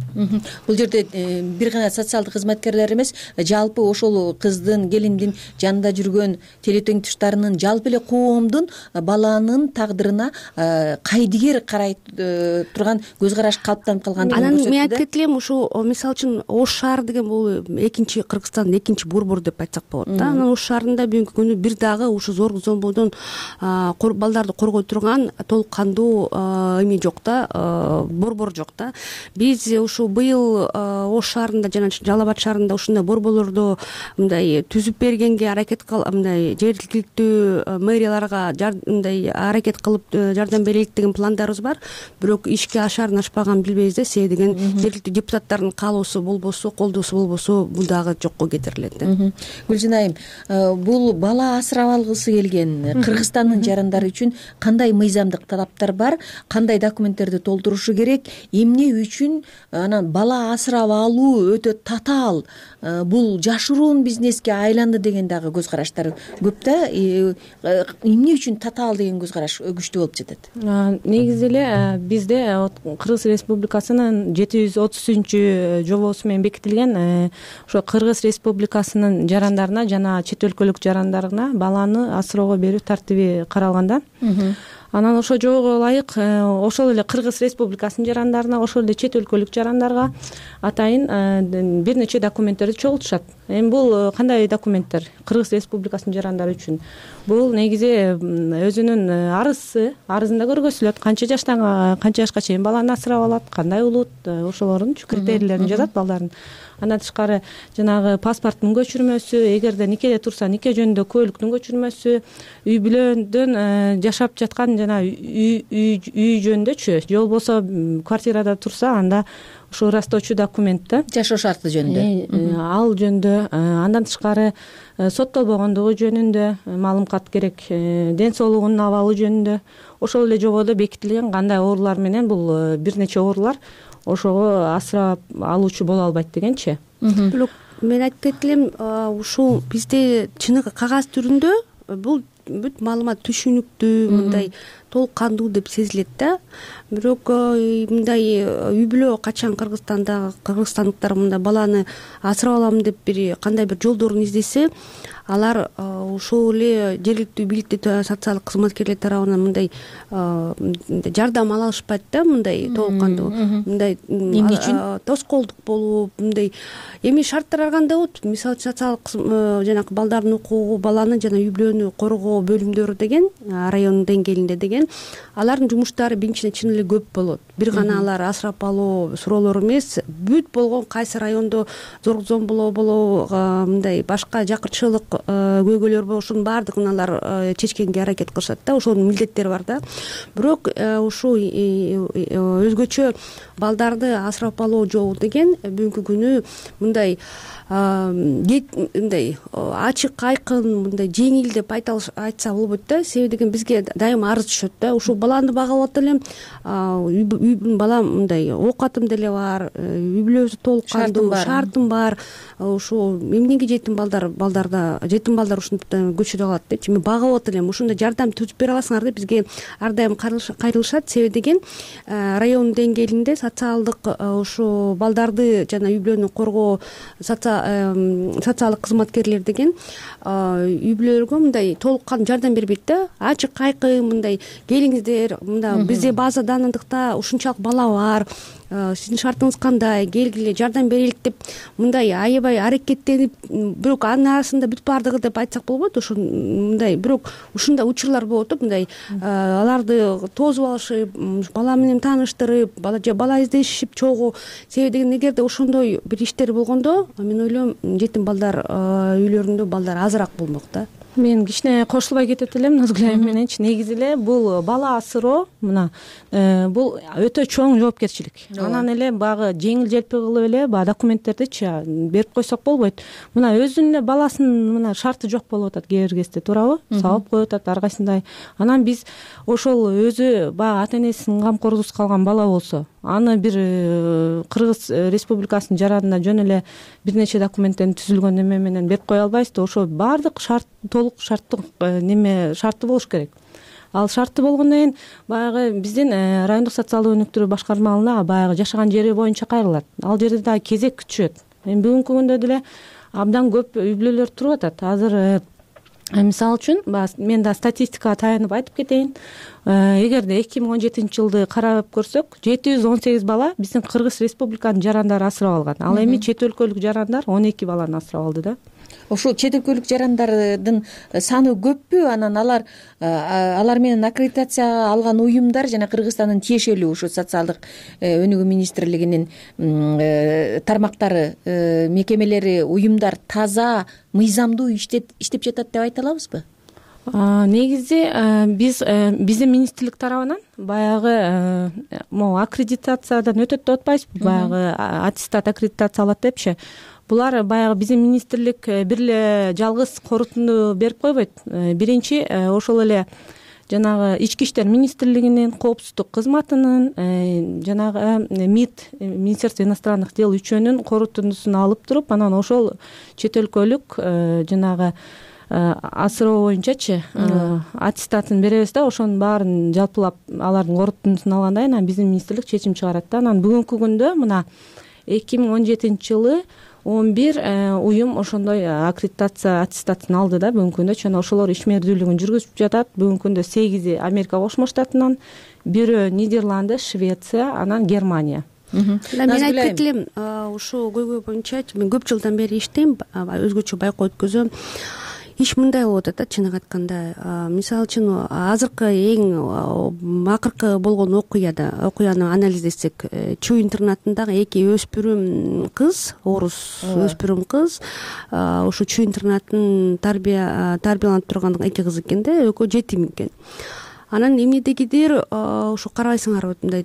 Бул жерде бир гана социалдык кызматкерлер эмес, жалпы ошол кыздын, келиндин жанында жүргөн теле теңдештарынын, жалпы эле коомдун баланын тагдырына кайдыгер карай турган көз караш калыптанып калгандыгын көрсөттү. Анан мен айтып кетелем, ушу мисалы үчүн Ош шаары деген бул экинчи Кыргызстандын экинчи Борбор деп айтсак болот да. Анан Ош шаарында бүгүнкү күнү бир дагы ушу зор зомбулуктан балдарды коргой турган толук кандуу эме жок да, борбор жок да. Биз ушу быйыл Ош шаарында жана Жалал Абад шаарында ушундай борборлорду мындай түзүп бергенге аракет мындай жергиликтүү мэрияларга мындай аракет кылып жардам берелик деген пландарыбыз бар. Бирок ишке ашарын ашпаган билбейбиз да. Себеби деген жергиликтүү депутаттардын каалоосу болбосо, колдоосу болбосо бул дагы жокко кетирилет да. Гүлжан айым, бул бала асырап алгысы келген Кыргызстандын жарандары үчүн кандай мыйзамдык талаптар бар, кандай документтерди толтурушу керек, эмне үчүн анан бала асырап алуу өтө татаал, бул жашыруун бизнеске айланды деген дагы көз караштар көп да. Эмне үчүн татаал деген көз караш күчтүү болуп жатат? Негизи эле бизде Кыргыз Республикасынын 730 жобосу менен бекитилген ошо Кыргыз Республикасынын жарандарына жана чет өлкөлүк жарандарына баланы асыроого берүү тартиби каралган да. Анан ошол жобого ылайык ошол эле Кыргыз Республикасынын жарандарына, ошол эле чет өлкөлүк жарандарга атайын бир нече документтерди чогултушат. Эми бул кандай документтер Кыргыз Республикасынын жарандары үчүн? Бул негизи өзүнүн арызында көргөзүлөт, канча жашка чейин баланы асырап алат, кандай улут, ошолордун критерийлерин жазат балдардын. Андан тышкары жанагы паспорттун көчүрмөсү, эгерде никеде турса нике жөнүндө куөлүктүн көчүрмөсү, үй бүлөдөн жашап жаткан жана үй жөнүндөчү, же болбосо квартирада турса анда ушул ырастоочу документ да, жашоо шарты жөнүндө, ал жөнүндө. Андан тышкары соттолбогондугу жөнүндө маалымат керек, ден соолугунун абалы жөнүндө. Ошол эле жободо бекитилген кандай оорулар менен бул бир нече оорулар ошого асырап алуучу боло албайт дегенчи. Бирок мен айтып кетелем, ушул бизде чыныгы кагаз түрүндө бул бүт маалымат түшүнүктүү, мындай толук кандуу деп сезилет да. Бирок мындай үй бүлө качан кыргызстандыктар мындай баланы асырап алам деп кандай бир жолдорун издесе, алар ошол эле жергиликтүү бийликтүү социалдык кызматкерлер тарабынан мындай жардам ала алышпайт да, мындай толук кандуу, мындай эмне үчүн тоскоолдук болуп, мындай эми шарттар кандай болот? Мисалы социалдык жанагы балдардын укугу, баланы жана үй бүлөнү коргоо бөлүмдөрү деген район деңгээлинде деген алардын жумуштары биринчиден чын эле көп болот. Бир гана алар асырап алуу суроолор эмес, бүт болгон кайсы райондо зор зомбулоо болобу, мындай башка жакырчылык көйгөйлөр болобу, ошонун баардыгын алар чечкенге аракет кылышат да. Ошонун милдеттери бар да. Бирок ушул өзгөчө балдарды асырап алуу жолу деген бүгүнкү күнү мындай ачык айкын, мындай жеңил деп айта айтса болбойт да. Себеби деген бизге дайыма арыз түшөт да. Ушул баланы багып атып элем, балам мындай оокатым деле бар, үй бүлөсү толук кандуу, шартым бар. Ушул эмнеге жетим балдар ушунтип көчүрө алат депчи. Мен багып атып элем, ушундай жардам түзүп бере аласыңар деп бизге ар дайым кайрылышат. Себеби деген район деңгээлинде социалдык ушу балдарды жана үй бүлөнү коргоо социалдык кызматкерлер деген үй бүлөлөргө мындай толук кандуу жардам бербейт да. Ачык айкын мындай келиңиздер, мында бизде база данындыкта ушунчалык бала бар, сиздин шартыңыз кандай, келгиле жардам берелик деп мындай аябай аракеттенип, бирок анын арасында бүт баардыгы деп айтсак болбойт. Ошо мындай бирок ушундай учурлар болот, мындай аларды тосуп алышып, бала менен тааныштырып, бала издешип чогуу. Себеби деген эгерде ошондой бир иштер болгондо, мен ойлойм жетим балдар үйлөрүндө балдар азыраак болмок да. Мен кичине кошулбай кетет элем Назгүл айым мененчи. Негизи эле бул бала асыроо бул өтө чоң жоопкерчилик. Анан эле баягы жеңил желпи кылып эле баягы документтердичи берип койсок болбойт. Мына өзүнүн эле баласынын шарты жок болуп атат кээ бир кезде, туурабы? Салып коюп атат ар кайсындай. Анан биз ошол өзү баягы ата энесинин камкордугусуз калган бала болсо, аны бир Кыргыз Республикасынын жаранына жөн эле бир нече документтен түзүлгөн неме менен берип кое албайсыз да. Ошо баардык толук шарттык шарты болуш керек. Ал шарты болгондон кийин баягы биздин райондук социалдык өнүктүрүү башкармалыгына баягы жашаган жери боюнча кайрылат. Ал жерде дагы кезек күтүшөт. Эми бүгүнкү күндө деле абдан көп үй бүлөлөр туруп атат. Азыр мисалы үчүн мен да статистикага таянып айтып кетейин. Эгерде 2017 жылды карап көрсөк, 718 бала биздин Кыргыз Республиканын жарандары асырап алган. Ал эми чет өлкөлүк жарандар 12 баланы асырап алды да. Ошол чет өлкөлүк жарандардын саны көппү? Анан алар менен аккредитация алган уюмдар жана Кыргызстандын тиешелүү ушу социалдык өнүгүү министрлигинин тармактары, мекемелери, уюмдар таза, мыйзамдуу иштеп жатат деп айта алабызбы? Негизи биздин министрлик тарабынан баягы могу аккредитациядан өтөт деп атпайсызбы? Баягы аттестат аккредитация алат депчи. Булар баягы биздин министрлик бир эле жалгыз корутунду берип койбойт. Биринчи ошол эле жанагы ички иштер министрлигинин, коопсуздук кызматынын, жанагы МИД, Министерство иностранных дел үчөөнүн корутундусун алып туруп, анан ошол чет өлкөлүк жанагы асыроо боюнчачы аттестатын беребиз да. Ошонун баарын жалпылап алардын корутундусун алгандан кийин биздин министрлик чечим чыгарат да. Анан бүгүнкү күндө мына 2017 жылы 11 уюм ошондой аккредитация аттестатын алды да бүгүнкү күндө. Жана ошолор ишмердүүлүгүн жүргүзүп жатат. Бүгүнкү күндө 8 Америка Кошмо Штатынан, бирөө Нидерланды, Швеция, анан Германия. Мен айтып кетелем, ушул көйгөй боюнча мен көп жылдан бери иштейм, өзгөчө байкоо өткөзөм. Иш мындай болуп атат да, чыныгы айтканда. Мисалы үчүн азыркы эң акыркы болгон окуяны анализдесек, Чүй интернатындагы 2 өспүрүм кыз, орус өспүрүм кыз, ошо Чүй интернатын тарбияланып турган 2 кыз экен да, экөө жетим экен. Анан эмнедегидир ошо карабайсыңарбы, мындай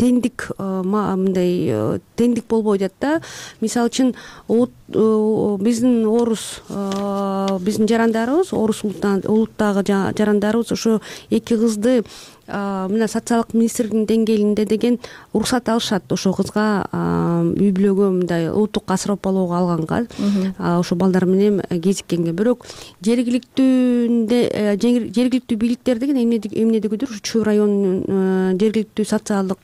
теңдик мындай теңдик болбой атат да. Мисалы үчүн биздин биздин жарандарыбыз, орус улуттагы жарандарыбыз ошо 2 кызды мына социалдык министрлигинин деңгээлинде деген уруксат алышат ошо кызга үй бүлөгө мындай улуттук асырап алууга алганга, ошо балдар менен кезиккенге. Бирок жергиликтүү бийликтер деген эмнедегидир ушу Чүй районунун жергиликтүү социалдык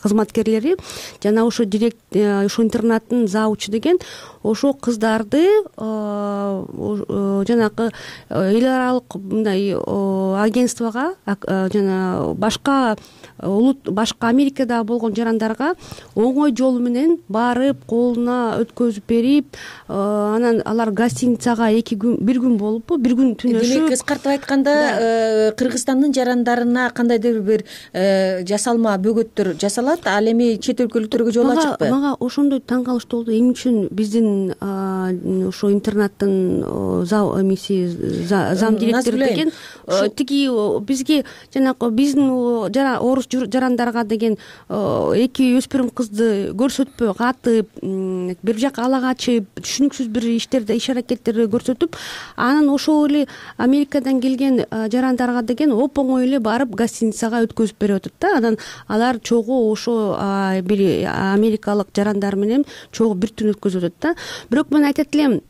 кызматкерлери жана ошо ошо интернаттын завучу деген ошо кыздарды жанагы эл аралык мындай агентствого жана башка Америкада болгон жарандарга оңой жол менен барып, колуна өткөзүп берип, анан алар гостиницага 1 күн болупу, 1 күн түнөшүп. Демек кыскартып айтканда, Кыргызстандын жарандарына кандайдыр бир жасалма бөгөттөр жасалат, ал эми чет өлкөлүктөргө жол ачыкпы? Мага ошондой таң калыштуу болду. Эмне үчүн биздин ошо интернаттын зам директору деген бизге жанагы биздин орус жарандарга деген эки өспүрүм кызды көрсөтпөй катып бир жака ала качып түшүнүксүз бир иш аракеттерди көрсөтүп анан ошол эле Америкадан келген жарандарга деген оп оңой эле барып гостиницага өткөзүп берип атат да. Анан алар чогуу ошо бир америкалык жарандар менен чогуу бир түн өткөзүп атат да. Бирок мен айтат элем,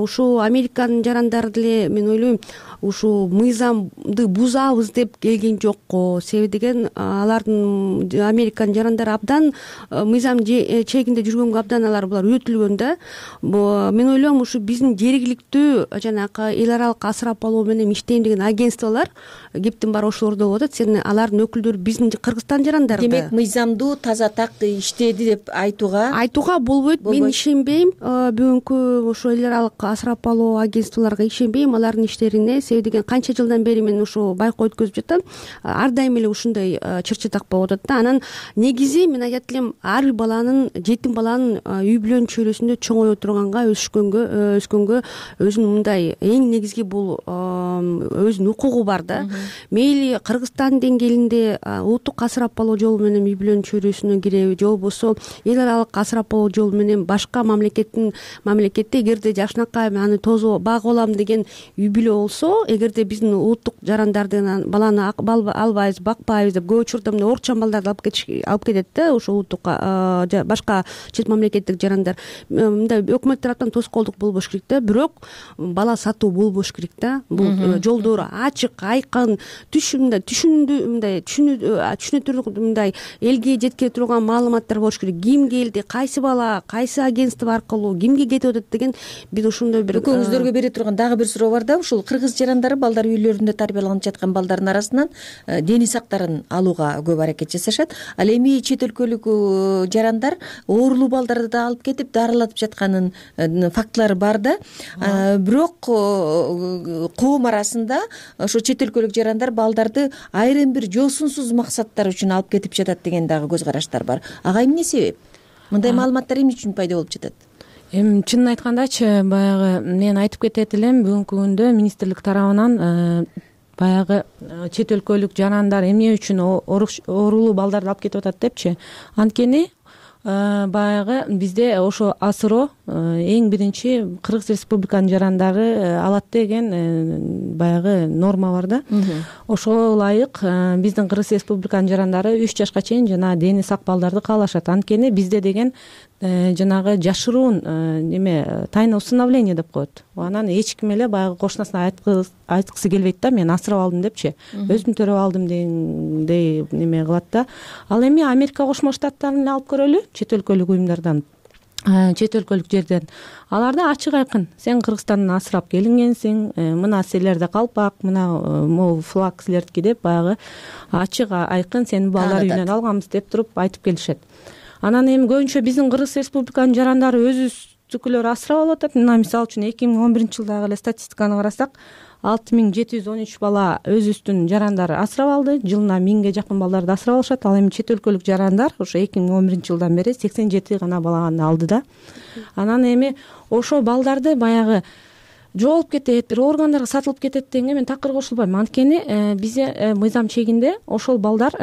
ушул Американын жарандары деле мен ойлойм ушул мыйзамды бузабыз деп келген жокко. Себеби деген алардын Американын жарандары абдан мыйзам чегинде жүргөнгө абдан булар үйрөтүлгөн да. Мен ойлойм ушу биздин жергиликтүү жанагы эл аралык асырап алуу менен иштейм деген агентстволор кептин баары ошолордо болуп атат. Сен алардын өкүлдөрү биздин Кыргызстан жарандары да. Демек мыйзамдуу таза так иштеди деп айтууга болбойт. Мен ишенбейм бүгүнкү ошо эл аралык асырап алуу агентстволорго ишенбейм алардын иштерине. Себеби деген канча жылдан бери мен ушу байкоо өткөзүп жатам. Ар дайым эле ушундай чыр-чатак болуп атат да. Анан негизи мен айтат элем ар бир баланын, жетим баланын үй бүлөнүн чөйрөсүндө чоңое турганга, өскөнгө өзүнүн мындай эң негизги бул өзүнүн укугу бар да. Мейли Кыргызстан деңгээлинде улуттук асырап алуу жолу менен үй бүлөнүн чөйрөсүнө киреби же болбосо эл аралык асырап алуу жолу менен башка мамлекетте эгерде жакшынакай аны багып алам деген үй бүлө болсо, эгерде биздин улуттук жарандарды баланы албайбыз, бакпайбыз деп көп учурда мындай орукчан балдарды алып кетет да. Ошо улуттук башка чет мамлекеттик жарандар мындай өкмөт тараптан тоскоолдук болбош керек да. Бирок бала сатуу болбош керек да. Бул жолдору ачык, айкын, түшүнүктүү мындай элге жеткире турган маалыматтар болуш керек. Ким келди, кайсы бала, кайсы агентство аркылуу кимге кетип атат деген биз ошондой бир экөөңүздөргө бере турган дагы бир суроо бар да. Ушул кыргыз жарандары балдар үйлөрүндө тарбияланып жаткан балдардын арасынан дене сактарын алууга көп аракет жасашат. Ал эми чет өлкөлүк жарандар оорулуу балдарды да алып кетип дарылатып жатканын фактылары бар да. Бирок коом арасында ошо чет өлкөлүк жарандар балдарды айрым бир жосунсуз максаттар үчүн алып кетип жатат деген дагы көз караштар бар. Ага эмне себеп? Мындай маалыматтар эмне үчүн пайда болуп жатат? Эми чынын айткандачы баягы мен айтып кетет элем, бүгүнкү күндө министрлик тарабынан баягы чет өлкөлүк жарандар эмне үчүн оорулуу балдарды алып кетип атат депчи. Анткени баягы бизде ошо асыроо эң биринчи Кыргыз Республиканын жарандары алат деген баягы норма бар да. Ошого ылайык биздин Кыргыз Республиканын жарандары 3 жашка чейин жана дени сак балдарды каалашат. Анткени бизде деген жанагы жашыруун тайное усыновление деп коет. Анан эч ким эле баягы кошунасына айткысы келбейт да, мен асырап алдым депчи, өзүм төрөп алдым дегендей кылат да. Ал эми Америка Кошмо Штаттарын алып көрөлү, чет өлкөлүк уюмдардан, чет өлкөлүк жерден. Аларда ачык айкын, сен Кыргызстандан асырап келингенсиң, мына силерде калпак, мына могу флаг силердики деп баягы ачык айкын сени балдар үйүнөн алганбыз деп туруп айтып келишет. Анан эми көбүнчө биздин Кыргыз Республиканын жарандары өзүбүздүкүлөр асырап алып атат. Мына мисалы үчүн 2011-жылдагы эле статистиканы карасак, 6713 бала өзүбүздүн жарандары асырап алды. Жылына 1000ге жакын балдарды асырап алышат. Ал эми чет өлкөлүк жарандар ошо 2011-жылдан бери 87 гана баланы алды да. Анан эми ошо балдарды баягы жоолуп кетет, бир органдарга сатылып кетет дегенге мен такыр кошулбайм. Анткени бизде мыйзам чегинде ошол балдар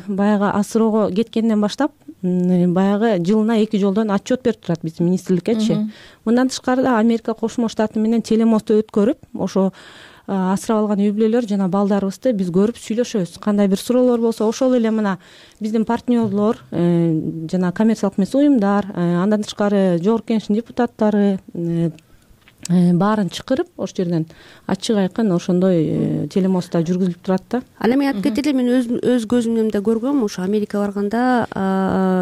баягы асыроого кеткенден баштап баягы жылына 2 жолдон отчет берип турат биздин министрликкечи. Мындан тышкары да Америка Кошмо Штаты менен телемостто өткөрүп, ошо асырап алган үй бүлөлөр жана балдарыбызды биз көрүп сүйлөшөбүз. Кандай бир суроолор болсо, ошол эле мына биздин партнерлор, жана коммерциялык эмес уюмдар, андан тышкары жогорку кеңештин депутаттары баарын чакырып ошол жерден ачык айкын ошондой телемостто жүргүзүлүп турат да. Ал эми айтып кетели, мен өз көзүм да көргөм, ошо Америка барганда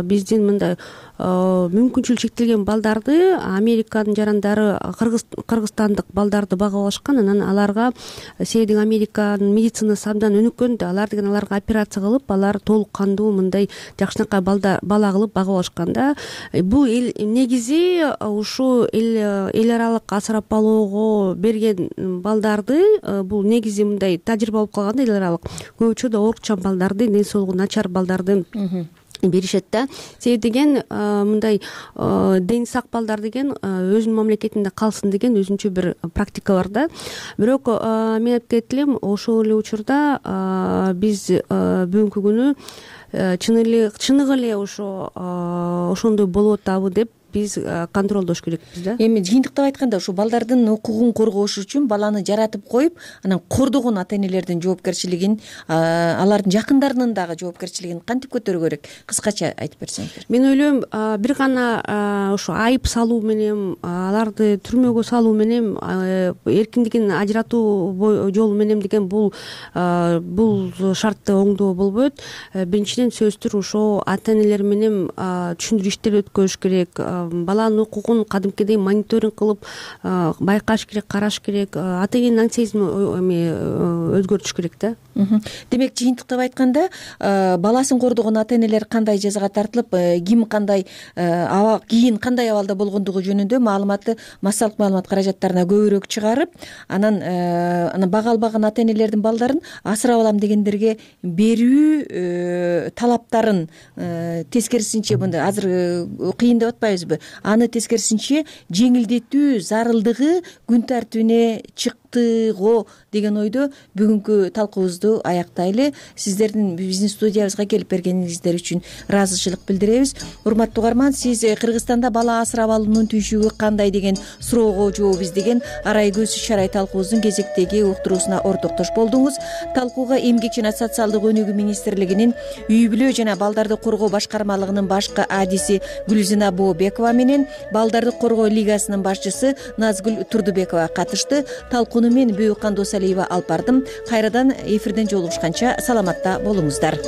биздин мындай мүмкүнчүлүгү чектелген балдарды Американын жарандары кыргызстандык балдарды багып алышкан. Анан аларга себеби Американын медицинасы абдан өнүккөн да, алар деген аларга операция кылып, алар толук кандуу мындай жакшынакай бала кылып багып алышкан да. Бул негизи ушу эл аралык асырап алууга берген балдарды, бул негизи мындай тажрыйба болуп калган да, эл аралык көп учурда оорукчан балдарды, ден соолугу начар балдарды беришет да. Себеби деген мындай дени сак балдар деген өзүнүн мамлекетинде калсын деген өзүнчө бир практикалар да. Бирок мен айтып кетет элем, ошол эле учурда биз бүгүнкү күнү чыныгы эле ошондой болуп атабы деп биз контролдош керекпиз да. Эми жыйынтыктап айтканда ушу балдардын укугун коргош үчүн баланы жаратып коюп, анан кордогон ата энелердин жоопкерчилигин, алардын жакындарынын дагы жоопкерчилигин кантип көтөрүү керек? Кыскача айтып берсеңиздер. Мен ойлойм, бир гана ошо айып салуу менен, аларды түрмөгө салуу менен, эркиндигин ажыратуу жолу менен деген бул шартты оңдоо болбойт. Биринчиден сөзсүз ошо ата энелер менен түшүндүрүү иштери өткөрүш керек. Баланын укугун кадимкидей мониторинг кылып байкаш керек, караш керек. Ата эненин аңсезмин өзгөртүш керек да. Демек, жыйынтыктап айтканда, баласын кордогон ата энелер кандай жазага тартылып, ким кандай кийин кандай абалда болгондугу жөнүндө маалыматты массалык маалымат каражаттарына көбүрөөк чыгарып, анан бага албаган ата энелердин балдарын асырап алам дегендерге берүү талаптарын тескерисинче, мындай азыр кыйын деп атпайбызбы? Аны тескерисинче жеңилдетүү зарылдыгы күн тартибине чыктыго деген ойдо бүгүнкү талкуубузду аяктайлы. Сиздердин биздин студиябызга келип бергениңиздер үчүн ыраазычылык билдиребиз. Урматтуу угарман, сиз Кыргызстанда бала асырап алуунун түйшүгү кандай деген суроого жооп издеген Арай көз чарай талкуубуздун кезектеги уктуруусуна ортоктош болдуңуз. Талкууга Эмгек жана социалдык өнүгүү министрлигинин үй бүлө жана балдарды коргоо башкармалыгынын башкы адиси Гүлзина Бообекова менен Балдарды коргоо лигасынын башчысы Назгүл Турдубекова катышты. Талкууну мен Бөөкан Досалиева алып бардым. Кайрадан эфирден жолугушканча саламатта болуңуздар.